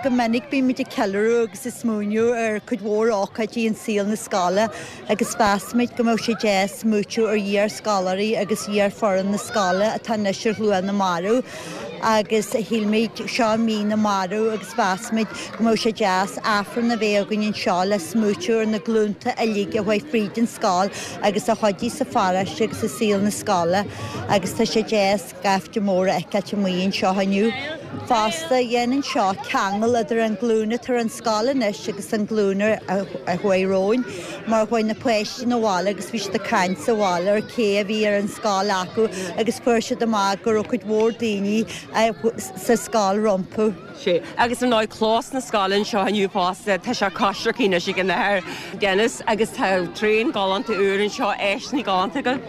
Go minic bímid ag ceiliúradh agus ag smaoineamh ar cuid mhór ócáidí in saol na scoile agus mheas muid go mbeadh sé deas smaoitiú ar iar-scoláirí agus iar-fhoireann na scoile atá anois ar shlua na marbh agus shíl muid seo mí na marbh agus mheas muid go mbeadh sé deas Aifreann a bheith againn anseo le smaoitiú ar na glúnta uilig a chuaigh fríd an scoil agus a chuidigh sa pharóiste agus i saol na scoile agus tá sé deas gaibhte mór a fheiceáilt amuigh anseo inniu. Fosta, dhéanann seo ceangal idir an glúin atá ar an scoil anois agus an glúin a chuaigh romhainn, mar chuaigh na páistí 'na bhaile agus bhí siad ag caint sa bhaile ar cé a bhí ar an scoil acu agus fuair siad amach go raibh cuid mhór daoine sa scoil rompu. Sea, agus ar ndóigh clós na scoile anseo inniu fosta, tá sé coisricthe anois ag an Athair Denis agus tá traein galánta úr anseo, áiseanna galánta agaibh.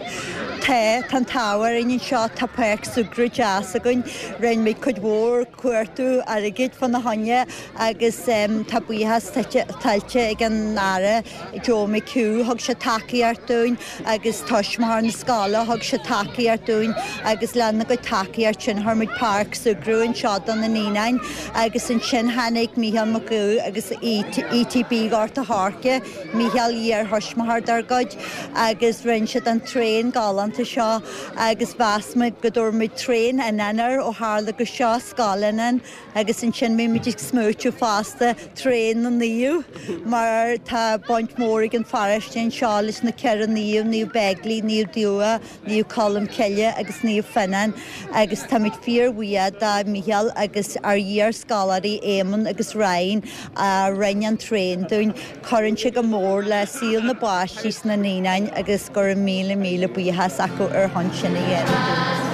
Tá, tá an t-ádh orainn anseo, tá páirc súgradh deas againn, rinne muid cuid mhór cuartú airgid fána choinne agus tá buíochas tuillte ag an Aire Joe McHugh, thug sé tacaíocht dúinn agus tuismitheoir na scoile, thug sé tacaíocht dúinn agus lena gcuid tacaíocht sin chuir muid páirc súgradh anseo do na naíonáin agus ansin tháinig Mícheál Mac Aoidh agus ETB Ghort a' Choirce, Mícheál iar-thuismitheoir dár gcuid agus rinne siad an traein galánta seo agus mheas muid go dtabharfadh muid traein Fhionáin air ó tharla gur seo Scoil Fhionáin agus ansin bhí muid ag smaoitiú fosta traein na naomh mar tá baint mhór ag an pharóiste anseo leis na ceithre naomh, Naomh Beigile, Naomh Dubha, Naomh Colm Cille agus Naomh Fionnán agus táimid fíorbhuíoch do Mhícheál agus ár iar-scoláirí Éamonn agus Ryan a rinne an traein dúinn. Cuireann sé go mór le saol na bpáistí sna naíonáin agus go raibh míle míle buíochas acu ar shon sin a dhéanamh dúinn.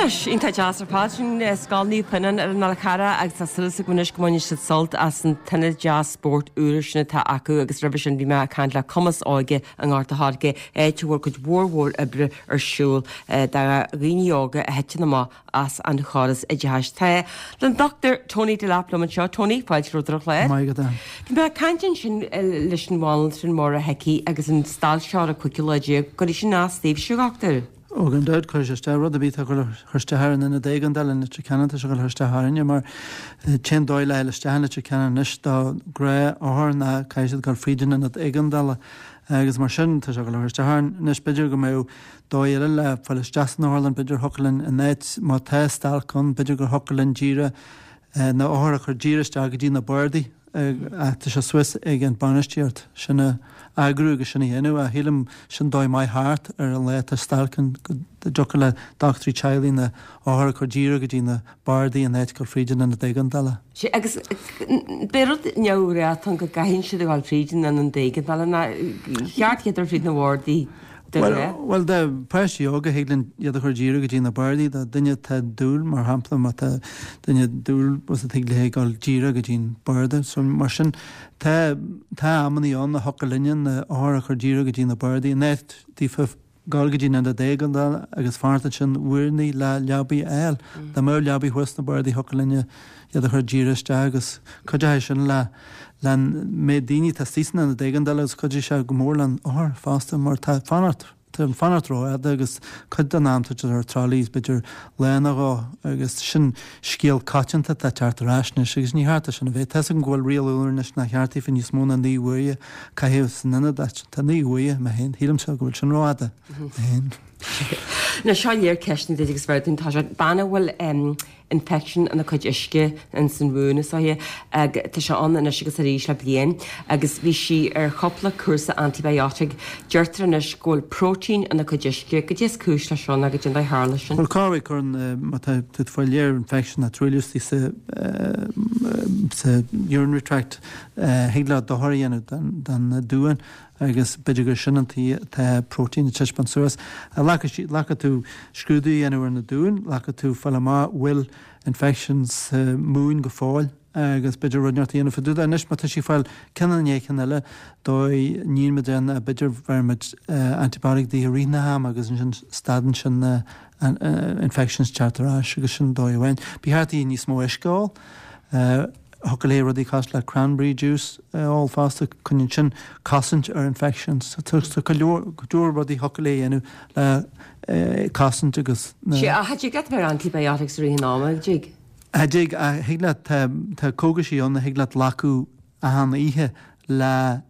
Anois, iontach deas ar fad sin Scoil Naomh Fionán ar an Fhál Carrach agus tá súil agam anois go mbainfidh siad sult as an t-ionad deas spóirt úr sin atá acu agus roimhe sin bhí mé ag caint le Cumas Óige i nGort a' Choirce, áit a bhfuil cuid mhór mhór oibre ar siúl do dhaoine óga a thiteann amach as an chóras oideachais. Tá an Dr Tony Delap liom anseo. Tony, fáilte romhat ar an chlár. Maith agat. Bhí mé ag caint ansin leis an bhanaltra Máire Hickey agus an stailc seo ar an cúigiú lá déag, cuirfidh sin as daoibhse, a dhochtúir. Ó gan dabht cuirfidh sé isteach rud ar bith atá ag cur isteach ar an ionad éigeandála in Leitir Ceanainn tá sé ag cur isteach orainne mar an t-aon dóigh le fháil isteach in Leitir Ceanainn anois do ghnáth-othar ná caithfidh siad dul fríd an ionad éigeandála agus mar sin tá sé ag cur isteach orainn. Anois b'fhéidir go mbeadh dóigh eile le fáil isteach san otharlann, b'fhéidir thiocfadh linn in áit má tá stailc ann b'fhéidir gur thiocfadh linn díreach na othair a chur díreach isteach go dtí na bardaí. Ach tá sé suas ag an bainistíocht sin a eagrú agus sin a dhéanamh. Ach shílim sin dóigh maith thart ar an lá atá stailc ann go dtiocfadh le dochtúirí teaghlaigh na othair a chur díreach go dtí na bardaí in áit dul fríd an ionad éigeandála. Sea, agus beidh rud neamhréatán go gcaitheann siad a ghabháil fríd an ionad éigeandála ná cheart iad ar fríd na bardaí. Bhuel, do pháistí óga, thig linn iad a chur díreach go dtí na bardaí. Do duine atá dúil, mar shampla, má tá duine dúil, bhuel, thig léi dul díreach go dtí an barda. So, mar sin, tá, tá amannaí ann a thiocfadh linne na othair a chur díreach go dtí na bardaí. In áit daofa dul go dtí an ionad éigeandála agus fanacht ansin uaireannaí le leabaí a fháil. Dá mbeadh leabaí thuas sna bardaí, thiocfadh linne iad a chur díreach isteach agus cuideoidh sin le leis an méid daoine atá istigh san ionad éigeandála agus cuideoidh sé go mór leis an othar fosta mar tá fanacht, tá an fanacht rófhada agus cuid den am tá siad ar trolleys b'fhéidir lá nó dhó agus sin scéal coitianta atá ag teacht ar ais anois agus ní cheart é sin a bheith. Tá 'fhios agam go bhfuil riail úr anois nach cheart daofa níos mó ná naoi uaire a chaitheamh san ionad ach tá naoi uaire mé féin, shílimse go bhfuil sin rófhada mé féin. Anois seo léir ceisteanna duit agus bheir tá sé bean a bhfuil infection ina cuid uisce ins an mhún is dóiche ag tá sé ann anois agus arís le bliain agus bhí sí ar chúpla cúrsa antibiotic. Deirtear anois go bhfuil protein ina cuid uisce, goidé is cúis leis seo ná goidé an dóigh tharla sin. Bhuel cá bhfuil cuireann má tá tú ag fáil léir infection ná truailliú istigh sa sa urinary tract thig leat dochar a dhéanamh don don duán agus b'fhéidir gur sin an tuige atá protein ag taispeáint suas. Ghlacfaidh tú scrúdú a dhéanamh ar na duáin, ghlacfaidh tú fáil amach bhfuil infection sa mhún go fóill agus b'fhéidir rud inteacht a dhéanamh fá dtaobh de. Anois má tá sí ag fáil ceann i ndiaidh ceann eile, dóigh níl muid ann b'fhéidir bheir muid antibiotic di i rith na hama agus ansin stadann sin na infections teacht ar ais agus sin dóigh amháin. Ba cheart di níos mó uisce a ól. Thiocfadh léi rudaí cosúil le cranberry juice a ól fosta, coinníonn sin cosaint ar infections. Tá go leor go leor rudaí thiocfadh léi a dhéanamh le cosaint agus na. Sea, ach cha dtig leat bheith ar antibiotics i rith an ama, an dtig? Cha dtig, ach thig leat, tá tá cógaisí ann a thig leat glacadh achan oíche le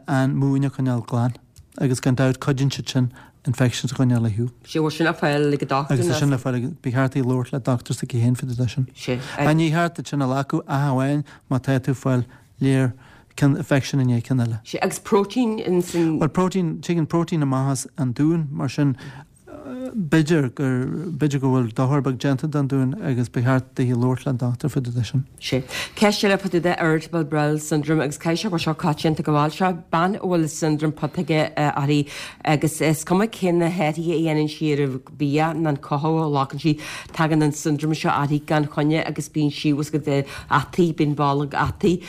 an mún a choinneáil glan agus gan dabht cuidíonn siad sin infections a choinneáil ar shiúl. Sea, bhfuil sin le fáil ag an dochtúir Agus tá sin le fáil ag, ba cheart í labhairt le dochtúir s'aici féin fá dtaobh de sin. Sea. Ach ní cheart duit sin a ghlacadh ach amháin má tá tú ag fáil léir ceann infection i ndiaidh ceann eile. Sea, agus protein in san. Bhuel protein, tigeann protein amach as an duan mar sin b'fhéidir gur, b'fhéidir go bhfuil dochar beag déanta don duan agus ba cheart di labhairt le an dochtúir fá dtaobh de sin. Sea. Ceist eile fá dtaobh de irritable bowel syndrome agus caithfidh sé go bhfuil seo coitianta go bhfuil seo bean a bhfuil siondróm putóige uirthi agus is cuma cé na hathruithe a dhéanann sí ar an bia nó an cothú a ghlacann sí, tagann an siondróm seo uirthi gan choinne agus bíonn sí bhfuil a fhios agat ataí, bíonn bolg ataí,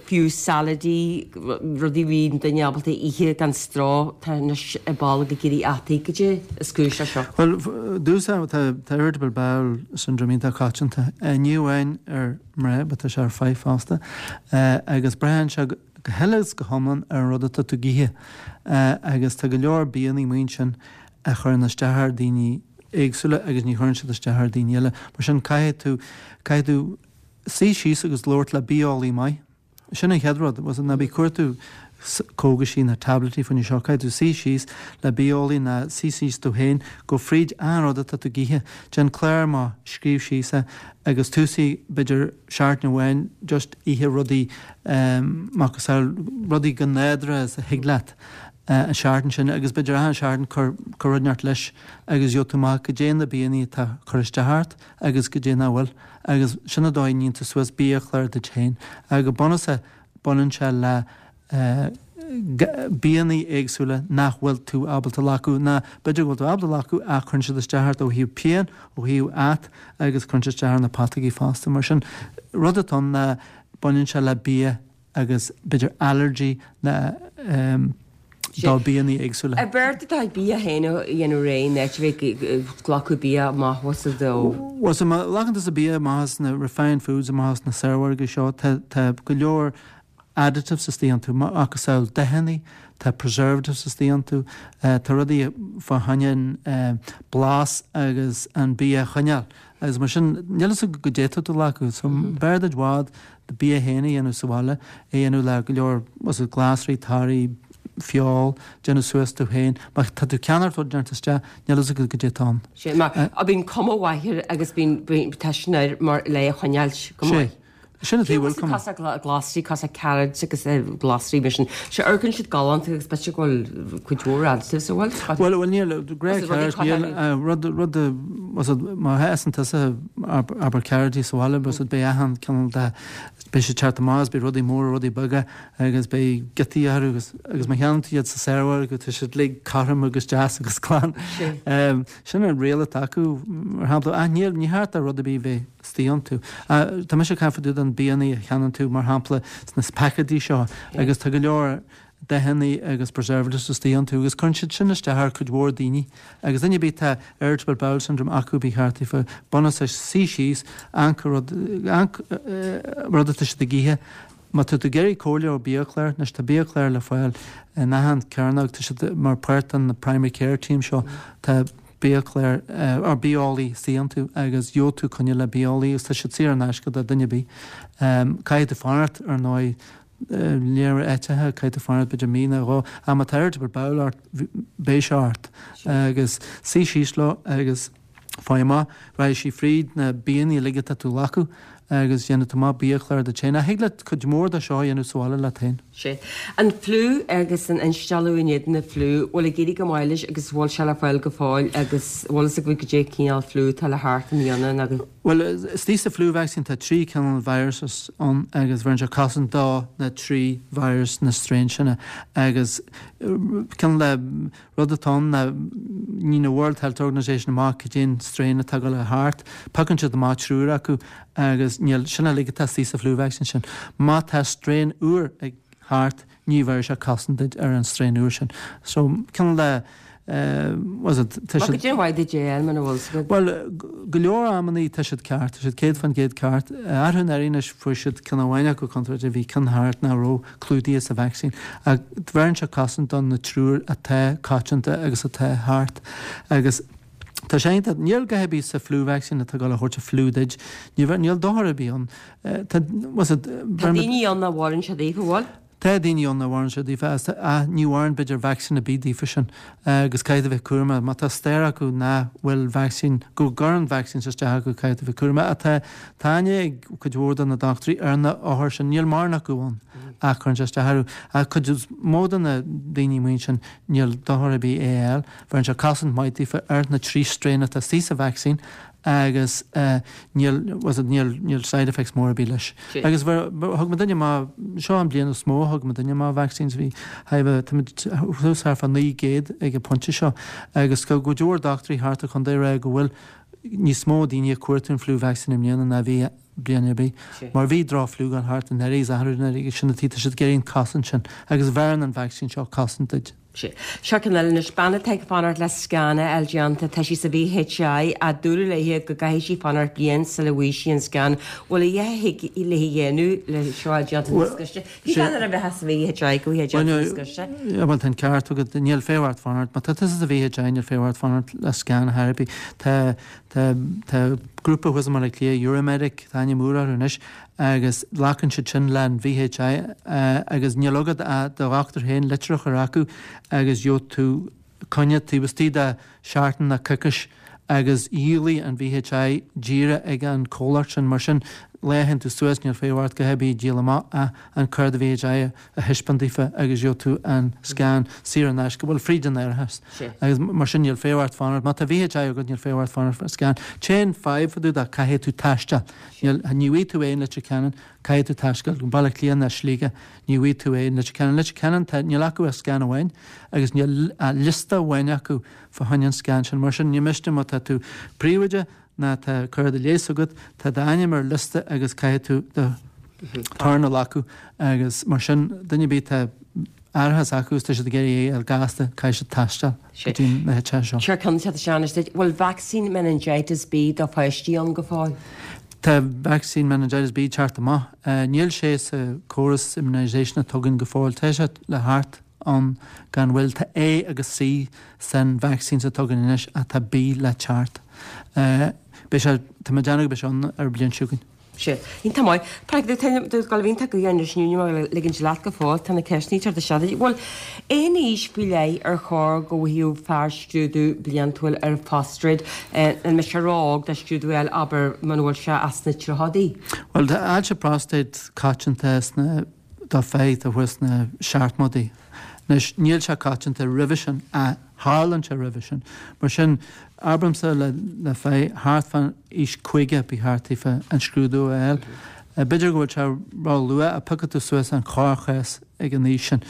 fiú salaidí, rudaí a bhíonn duine ábalta a ithe gan stró, tá anois a bolg ag éirí ataí. Goidé is cúis leis seo? Bhuel, dtús tá tá irritable bowel syndrome iontach coitianta. Ní amháin ar mná, but tá sé ar fir fosta. Agus braitheann sé go huile is go hiomlán ar an rud atá tú ag ithe. Agus tá go leor bianna amuigh ansin a chuireann isteach ar daoine éagsúla agus ní chuireann siad isteach ar daoine eile. Mar sin caithfidh tú, caithfidh tú suí síos agus labhairt le bitheolaí maith. Sin an chéad rud, was it, ná bí ag cuartú cógaisí ná tabletí faoin seo, caithfidh tú suí síos le bitheolaí ná suí síos tú féin, gabh fríd achan rud atá tú ag ithe, déan clár maith, scríobh síos é agus tosaigh b'fhéidir seachtain amháin just ithe rudaí macasamhail, rudaí go nádúrtha is a thig leat an seachtain sin agus b'fhéidir achan seachtain cuir cuir rud inteacht leis agus gheobhaidh tú amach goidé na bianna atá ag cur isteach ort agus goidé nach bhfuil agus sin an dóigh a níonn tú suas biachlár duit féin. Ach go bunúsach baineann sé le bianna éagsúla nach bhfuil tú ábalta glacadh ná b'fhéidir go bhfuil tú ábalta glacadh ach cuireann siad isteach ort ó thaobh pian, ó thaobh at agus cuireann siad isteach ar na pataigí fosta. Mar sin rud atá ann ná baineann sé le bia agus b'fhéidir allergy na do bianna éagsúla. Ab fhearr duit bia féin a dhéanamh réidh ná a bheith ag glacadh bia amach as do. Bhuel so má ghlacann tusa bia amach as na refined foods amach as na saormhargaí seo tá tá go leor additives istigh iontu, macasamhail dathanna, tá preservatives istigh iontu, tá rudaí fá choinne an blas agus an bia a choinneáil agus mar sin níl fhios agat goidé atá tú a ghlacadh. So b'fhearr duit i bhfad do bia féin a dhéanamh sa bhaile, é a dhéanamh le go leor was it glasraí, torthaí, feoil, déanamh suas tú féin. Má tá tú ag ceannacht rud inteacht isteach, níl fhios agat goidé atá ann. Sé mar bíonn cuma mhaith air agus bíonn tá sin air mar le é a choinneáilt go maith. Sé. Sin an taobh a bhfuil cuma. Cosúil glasraí, cosúil carrots agus glasraí mar sin. Sé amharcann siad galánta agus b'fhéidir go bhfuil cuid mhór additives a bhfuil. Bhuel, bhuel níl, grey carrot, níl, rud, rud, was it, má fhásann tusa abair carrotaí sa bhaile, was it, beidh achan cineál de, beidh siad teacht amach agus beidh rudaí móra, rudaí beaga agus beidh giotaí orthu agus, agus má cheannaíonn tú iad sa saormhargadh tá siad uilig cothrom agus deas agus glan. Sin an riail atá acu, mar shampla, ach níl, ní cheart do rud ar bith bheith istigh iontu. Tá mise ag caint fá dtaobh den bianna a cheannaíonn tú, mar shampla, sna paicéidí seo agus tá go leor dathanna agus preservatives istigh iontu agus cuireann siad sin isteach ar cuid mhór daoine agus duine ar bith atá irritable bowel syndrome acu ba cheart daofa bunúsach suí síos, amharc rud, amharc rud atá siad ag ithe. Má tá tú ag iarraidh comhairle ó biachlár, anois tá biachlár le fáil in achan cearnóg, tá siad mar páirt den primary care team seo, tá biachlár or bitheolaí istigh iontu agus gheobhaidh tú coinne le bitheolaí agus tá siad saor in aisce do duine ar bith. Caithfidh tú fanacht ar ndóigh léir áiteacha, caithfidh tú fanacht b'fhéidir mí nó dhó ach má tá irritable bowel ort beidh sé ort agus suí síos leo agus faigh amach, raghaidh sí fríd na bianna uilig atá tú a ghlacadh agus déanfaidh tú amach biachlár duit féin. Ach thig leat cuid mhór de seo a dhéanamh sa bhaile leat féin. Sea. An fliú agus an instealladh in éadan na fliú, bhfuil ag éirí go maith leis agus bhfuil sé le fáil go fóill agus bhfuil fhios agaibh goidé cineál fliú atá le theacht i mbliana nó go. Bhuel, istigh sa flu vaccine tá trí cineál viruses ann agus bheireann sé cosaint do na trí virus, na strain sin agus cineál de Rud atá ann ná ní na World Health Organization amach cad é an strain atá ag dul thart. Piocann siad amach triúr acu agus níl, sin uilig atá istigh sa flu vaccine sin. Má tá strain úr ag theacht ní bheirfidh sé cosaint duit ar an strain úr sin. So, cineál de, was it, tá siad. Cad é mhaith duit é a muna bhfuil 's agat? Bhuel, go leor amannaí tá siad ceart, tá siad céad faoin gcéad ceart. Arú anuraidh anois fuair siad ceann amháin acu contráilte, bhí ceann thart nach raibh clúdaithe sa vacsaín. Ach bheireann sé cosaint do na triúr atá coitianta agus atá thart. Agus tá sé iontach, níl a dhath ar bith sa flu vaccine atá ag dul a thabhairt an fliú duit, níl dochar ar bith ann. Tá, was it, Tá daoine ann nach bhfóireann sé daofa, bhfuil? Tá daoine ann nach bhfóireann sé daofa ach ní fhóireann b'fhéidir vacsaín ar bith daofa sin agus caithfidh tú bheith cúramach. Má tá stair acu nach bhfuil vacsaín, go gcuireann vaccines isteach acu caithfidh tú bheith cúramach. Ach tá tá aithne ag cuid mhór de na dochtúirí ar na othair sin, níl mórán acu ann ach cuireann sé isteach orthu. Ach cuid is mó de na daoine amuigh ansin níl dochar ar bith é a fháil. Bheireann sé cosaint maith daofa ar na trí strain atá istigh sa vacsaín agus níl was it níl níl side effects mór ar bith leis. Agus thug muidinne amach, seo an bliain is mó a thug muidinne amach vaccines, bhí táimid thuas thart fá naoi gcéad ag an pointe seo agus go cuid mhór dochtúirí thart ar chontae ag rá go bhfuil níos mó daoine ag cuartú an flu vaccine i mbliana ná bhí bliain ar bith. Mar bhí droch fliú ag dul thart anuraidh is athrú anuraidh agus sin an tuige tá siad ag iarraidh an cosaint sin agus bheireann an vaccine seo cosaint duit. Sea. Seo ceann eile anois. Bean atá ag fanacht le scan a fháil déanta. Tá sí sa VHI ach dúradh léi go gcaithfidh sí fanacht bliain sula bhfaighidh sí an scan. Bhfuil a dhath a thig léi a dhéanamh le seo a fháil déanta níos gaiste? Bhí bean ar a bheith sa VHI go bhfaighidh déanta níos gaiste. Bhuel, tá an ceart agat. Níl feidhm ort fanacht. Má tá tusa sa VHI níl feidhm ort fanacht le scan ar chor ar bith. Tá Tá tá grúpa thuas i mBaile Átha Cliath, Euromedic, tá aithne mór orthu anois, agus glacann siad sin le an VHI agus níl agat ach do dhochtúir féin litir a chur acu agus gheobhaidh tú coinne taobh istigh de seachtain nó coicís agus dhíolfaidh an VHI díreach ag an comhlacht sin. Mar sin Lá a théann tú suas níl feidhm ort go hebí díol amach ach an cárta VHI a thaispeáint daofa agus gheobhaidh tú an scan saor in aisce, bhuel fríd an árachas. Agus mar sin níl feidhm ort fanacht. Má tá VHI agat níl feidhm ort fanacht an scan. T-aon fadhb fá dtaobh de caithfidh tú taisteal. Níl, ní bhfaighidh tú é in Leitir Ceanainn, caithfidh tú taisteal go Baile Átha Cliath ná Sligeach, ní bhfaighidh tú é in Leitir Ceanainn. Leitir Ceanainn tá, níl acu ach scan amháin agus níl ach liosta amháin acu fá choinne an scan sin. Mar sin ní miste má tá tú príomhoide, ná tá cárta leighis agat, tá d'ainm ar liosta agus caithfidh tú do turn a ghlacadh agus mar sin duine ar bith tá árachas acu agus tá siad ag iarraidh é a fháil gasta, caithfidh siad taisteal go dtí na háiteacha seo. Sure, ceann de Sean, is bhfuil vacsaín meningitis B do pháistí ann go fóill? Tá vacsaín meningitis B teacht amach. Níl sé sa córas immunisation atá againn go fóill. Tá sé le theacht ann gan mhoill. Tá A agus C san vaccines atá againn anois ach tá B le teacht. Beidh sé, tá mé ag déanamh go mbeidh sé ann ar an bhliain seo chugainn. Sea. Iontach maith. Tá tú ag dul a bhíonn tú anois níl mé ag ligint leat go fóill, tá na ceisteanna ag teacht isteach duit. Bhuel, aon aois faoi leith ar chóir go bhfaigheadh fear scrúdú bliantúil ar phrostaid? An mbeidh sé ró-óg do scrúdú a fháil, abair, muna bhfuil sé ach sna tríochaidí? Bhuel, tá ailse próstaid coitianta sna do fir atá thuas sna seachtmóidí. Anois, níl sé coitianta roimhe sin, ach tharlaíonn sé roimhe sin. Mar sin, abraimse le le fir thart fán aois caoga ba cheart daofa an scrúdú a fháil. B'fhéidir go bhfuil sé ró-luath ach piocfaidh tú suas an corrchás ag an aois sin.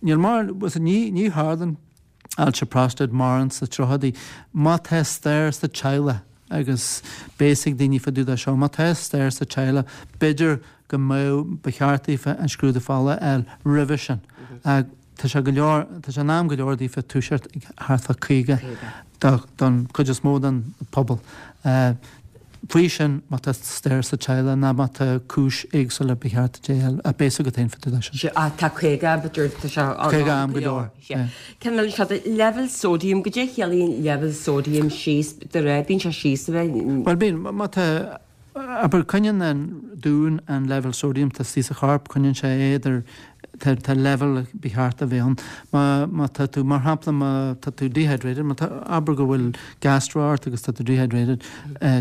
Níl mar, ní, ní tharlaíonn ailse próstaid mórán sna tríochaidí. Má tá stair sa teaghlach agus beidh a fhios ag daoine fá dtaobh de seo, má tá stair sa teaghlach, b'fhéidir go mbeadh, ba cheart daofa an scrúdú fola a fháil roimhe sin. Ach tá sé go leor, tá sé in am go leor daofa toiseacht ag thart fá caoga don chuid is mó den pobal. Faoi sin, má tá stair sa teaghlach ná má tá cúis éagsúla ba cheart duit é a fháil, ach beidh a fhios agat féin fá dtaobh de sin. Sea, ach tá caoga, b'fhéidir, tá sé an Caoga am go leor. Sea. Ceann eile seo, leibhéal sóidiam, goidé a chiallaíonn leibhéal sóidiam síos, de réir, bíonn sé síos a bheith. Bhuel bíonn, má tá Abair, coinníonn an dún an leibhéal sóidiam atá istigh sa chorp, coinníonn sé é idir, tá, tá leibhéal ba cheart a bheith ann. Má, má tá tú, mar shampla, má tá tú dehydrated, má tá, abair go bhfuil gastro ort agus tá tú dehydrated,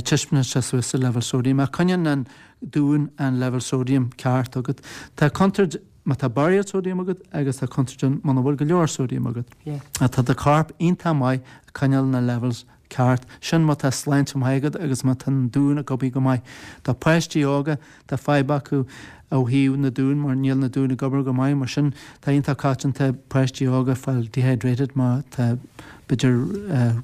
titeann sé suas sa leibhéal sóidiam. Ach coinníonn an dún an leibhéal sóidiam ceart agat. Tá contúirt má tá barraíocht sóidiam agat agus tá contúirt ann muna bhfuil go leor sóidiam agat. Ach tá do chorp iontach maith ag coinneáil na levels ceart. Sin má tá sláinte maith agat agus má tá an dún ag obair go maith. Tá páistí óga, tá fadhb acu ó thaobh na dún mar níl na dún ag obair go maith. Mar sin tá iontach coitianta páistí óga fáil dehydrated má tá b'fhéidir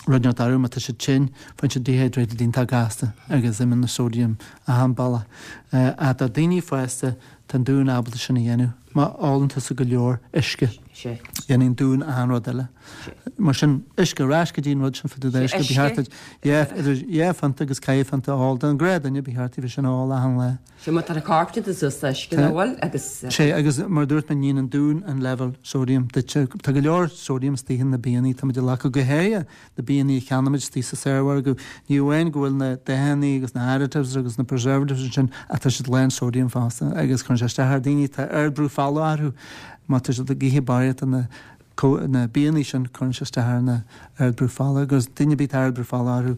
rud inteacht orthu, má tá siad tinn, faigheann siad dehydrated iontach gasta agus imíonn na sodium achan bealach. Ach do daoine fásta tá an dún ábalta sin a dhéanamh má ólann tusa go leor uisce. Déanann an dún achan rud eile. Mar sin, uisce, ar ais go dtí an rud sin fá dtaobh d'uisce, ba cheart duit idir dhá phionta agus ceithre phionta a ól. Don ghnáthdhuine, ba cheart daofa sin a ól achan lá. Sea, má tá an corp déanta suas d'uisce, nach bhfuil? Agus. Sea, agus mar a dúirt mé, níonn an dún an leibhéal sóidiam duit. Tá go leor sóidiam istigh in na bianna atáimid a ghlacadh, go háirithe na bianna a cheannaímid istigh sa saormhargadh. Ní amháin go bhfuil na dathanna agus na additives agus na preservatives ansin, ach tá siad lán sóidiam fosta agus cuireann sé isteach ar daoine atá ardbhrú fola orthu. Má tá siad ag ithe barraíocht de na na bianna sin, cuireann sé isteach ar na ardbhrú fola agus duine ar bith atá ardbhrú fola orthu,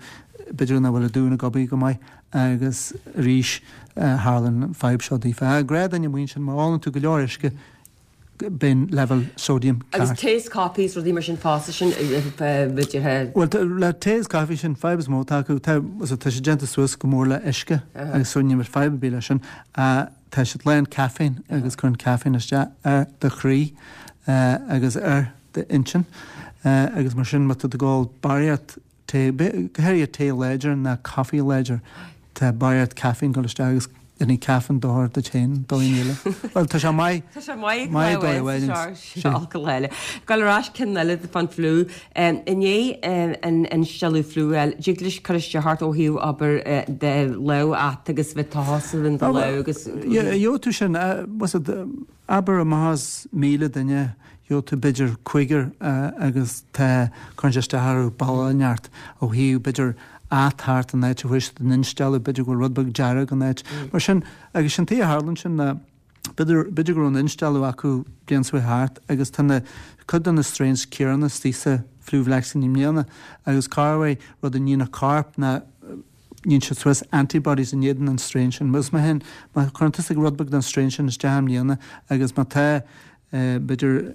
b'fhéidir nach bhfuil a dún ag obair go maith agus arís tharlaíonn an fadhb seo daofa. Gnáthdhuine amuigh ansin, má ólann tú go leor uisce, bíonn leibhéal sóidiam ceart. Agus taes, caife is rudaí mar sin fosta sin b'fhéidir. Bhuel, le tae is caife sin fadhb is mó atá acu, tá tá sé déanta suas go mór le uisce agus so níl fadhb ar bith leis sin. Tá siad lán caiféin agus cuireann caiféin isteach ar do chroí agus ar d'intinn agus mar sin má tá tú ag ól barraíocht tae, go háirithe tae láidir ná caife láidir, tá barraíocht caiféin ag dul isteach agus déanfaidh caiféin dochar duit féin, do dhaoine eile. Bhuel, tá sé maith, Tá sé maith maith dóigh amháin. Seo alcohol eile. Gabháil ar ais ceann eile fán fliú. I ndiaidh an instealladh fliú a fháil, dtig leis cur isteach ort ó thaobh abair de lámh a'd agus bheith tochas in do lámh agus. Gheobhaidh tú sin, abair amach as míle duine, gheobhaidh tú b'fhéidir cúigear agus tá, cuireann sé isteach orthu bealach inteacht ó thaobh b'fhéidir at thart an áit a bhfuair siad an instealladh, b'fhéidir go bhfuil rud beag dearg an áit. Mar sin, agus sin tuige a tharlaíonn sin ná b'fhéidir, b'fhéidir go raibh an instealladh acu bliain seo thart agus tá na, cuid de na strains céanna istigh sa flu vaccine i mbliana agus corruair rud a níonn an corp ná níonn siad suas antibodies in éadan an strain sin. Mus má hen má chuireann tusa rud beag den strain sin isteach i mbliana agus má tá b'fhéidir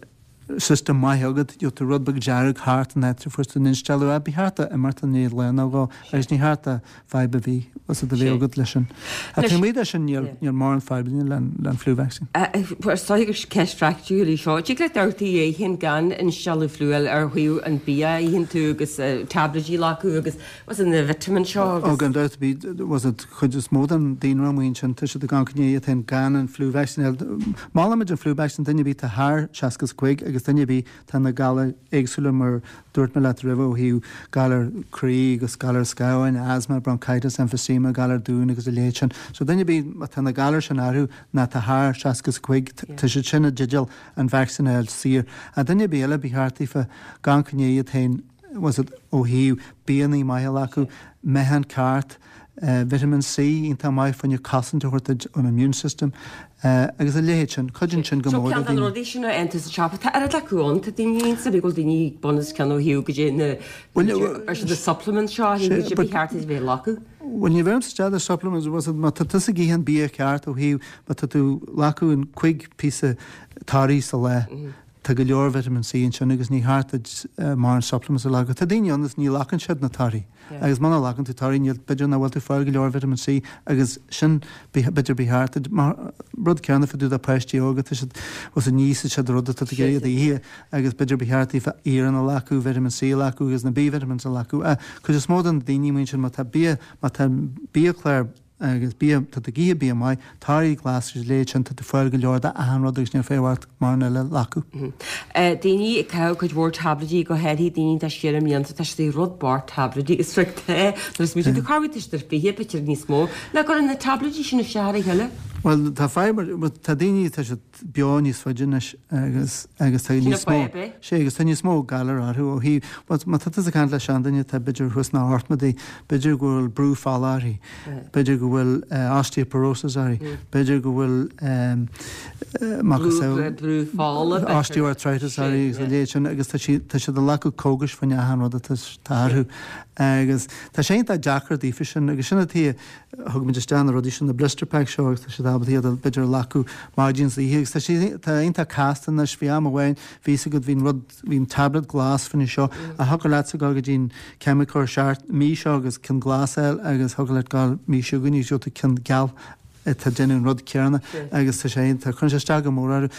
system maith agat, gheobhaidh tú rud beag dearg thart an áit a fuair tú an instealladh. Ba cheart dó imeacht i ndiaidh lá nó dhó agus ní cheart dó fadhb a bhí was it a bheith agat leis sin. Ach taobh amuigh de sin níl níl mórán fadhbanna le le an flu vaccine. Is dóigh gur ceist phraiticiúil í seo. Tig leat amharc é féin gan instealladh fliú ar thaobh an bia a itheann tú agus tablaidí a ghlacadh agus was it na vitamins seo agus. Ó gan dabht bhí was it chuid is mó den daonra amuigh ansin tá siad ag amharc i ndiaidh iad féin gan an flu vaccine. Molaimid an flu vaccine duine ar bith atá thar seasca is a cúig agus duine ar bith tá na galair éagsúla mar dúirt mé leat roimhe ó thaobh galar croí agus galar scamháin, asthma, bronchitis, emphysema, galar dúin agus a leithéid sin. So duine ar bith má tá na galair sin orthu ná tá thar seasca is a cúig tá siad sin i dteideal an vacsaín a fháil saor. Ach duine ar bith eile ba cheart daofa amharc i ndiaidh iad féin was it ó thaobh bianna maithe a ghlacadh, meáchan ceart, Vitamin C iontach maith fá choinne cosaint a thabhairt duit ón immune system agus a leithéid sin. Cuidíonn sin go So mór le ceann de na daoine. rudaí sin a fhaigheann tú sa siopa, tá oiread acu ann, tá daoine ionsa bhí go bhfuil daoine bun os cionn ó thaobh go dtí na Bhuel, ar siad na supplements seo, Sé, go dtí but ba cheart iad a bheith ag glacadh. Bhuel ní bheirimse isteach ar supplements, was it má tá tusa ag ithe an bia ceart ó thaobh má tá tú ag glacadh an cúig píosa torthaí sa lá, Tá go leor vitamin C ansin agus ní cheart duit mórán supplements a ghlacadh. Tá daoine ann is ní ghlacann siad na torthaí agus muna nglacann tú torthaí níl, b'fhéidir nach bhfuil tú ag fáil go leor vitamin C agus sin b'fhéidir ba cheart duit. Mar rud céanna fá dtaobh de páistí óga, tá siad, bhfuil fhios ní íosfaidh siad rud atá tú ag iarraidh iad a ithe agus b'fhéidir ba cheart daofa iarann a ghlacadh, vitamin C a ghlacadh agus na B vitamins a ghlacadh. Ach cuid is mó de na daoine amuigh ansin má tá bia, má tá biachlár Agus bia, tá tú ag ithe bia maith, torthaí glas agus a leithéid sin, tá tú ag fáil go leor de achan rud agus níl fadhb ort mórán eile a ghlacadh. Daoine ag caitheamh cuid mhór tablaidí, go háirithe daoine atá siar i mblianta, tá siad ag rud bocht tablaidí agus rud te, nuair a smaoitíonn tú cá bhfuil tú ar fiche, b'fhéidir níos mó, nach gcuireann na tablaidí sin isteach ar a chéile. Bhuel, tá fadhb mar, tá daoine, tá siad beo níos faide anois agus agus tá Sin níos mó, fadhb é. sé agus tá níos mó galar orthu ó thaobh, bhuel má tá tusa ag caint le seanduine atá b'fhéidir thuas sna hochtóidí, b'fhéidir go bhfuil brú fola uirthi, b'fhéidir go bhfuil osteoporosis uirthi, b'fhéidir go bhfuil macasamhail, Brú fola, b'fhéidir. osteoarthritis uirthi agus a leithéid sin agus tá sí tá siad ag glacadh cógais fá choinne achan rud atá orthu agus tá sé iontach deacair daofa sin agus sin an tuige Thug muid isteach na rudaí sin, na blister packs seo agus tá siad ábalta iad a b'fhéidir a ghlacadh maidin is oíche agus tá sé tá iontach casta anois, bhí am amháin, bhí fhios agat, bhí an rud, bhí an tablet glas fá choinne seo ach thiocfadh leatsa dul go dtí an ceimiceoir seart mí seo agus ceann glas a fháil agus thiocfadh leat dul mí seo chugainn agus gheobhaidh tú ceann geal atá ag déanamh an rud céanna agus tá sé iontach, cuireann sé isteach go mór orthu.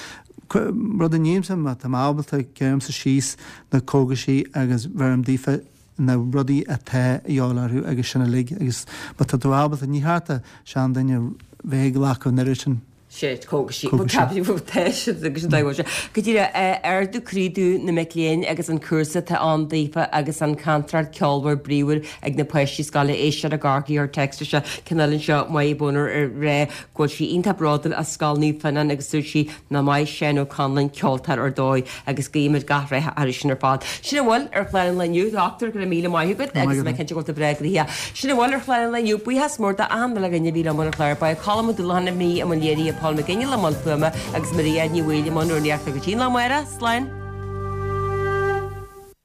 Rud a nímse má tá mé ábalta, gearraimse síos na cógaisí agus bheirim daofa na rudaí atá a dhíobháil orthu agus sin uilig agus má tá tú ábalta, ní cheart do sheanduine bheith ag glacadh an oiread sin sé cógaisí. cógaisí. Tá siad agus an dóigh sé. Go díreach, ardú croí do na mic léinn agus an cúrsa atá ann daofa agus an chantaireacht ceolmhar bríomhar ag na páistí scoile éistear i gCorcaigh ar text seo ceann eile anseo Máire Boner ag rá go bhfuil sí iontach bródúil as Scoil Naomh Fionnán agus dúirt sí nach maith Seán Ó Conluain ceoltóir ar dóigh agus guímid gach rath orthu sin ar fad. Sin a bhfuil ar chlár an lae inniu, a Dhochtúir, go raibh míle maith agat agus mé cinnte go bhfuil tú breá gnoitheach. Sin a bhfuil ar chlár an lae inniu. Buíochas mór d'achan uile dhuine a bhí liom ar an chlár. Ba é Colm Ó Dúlacháin a bhí i mbun léirithe, Paul Mac Giolla i mbun fuaime agus Maria Ní Bhaoill i mbun rúnaíochta. Go dtí an lá amárach, slán!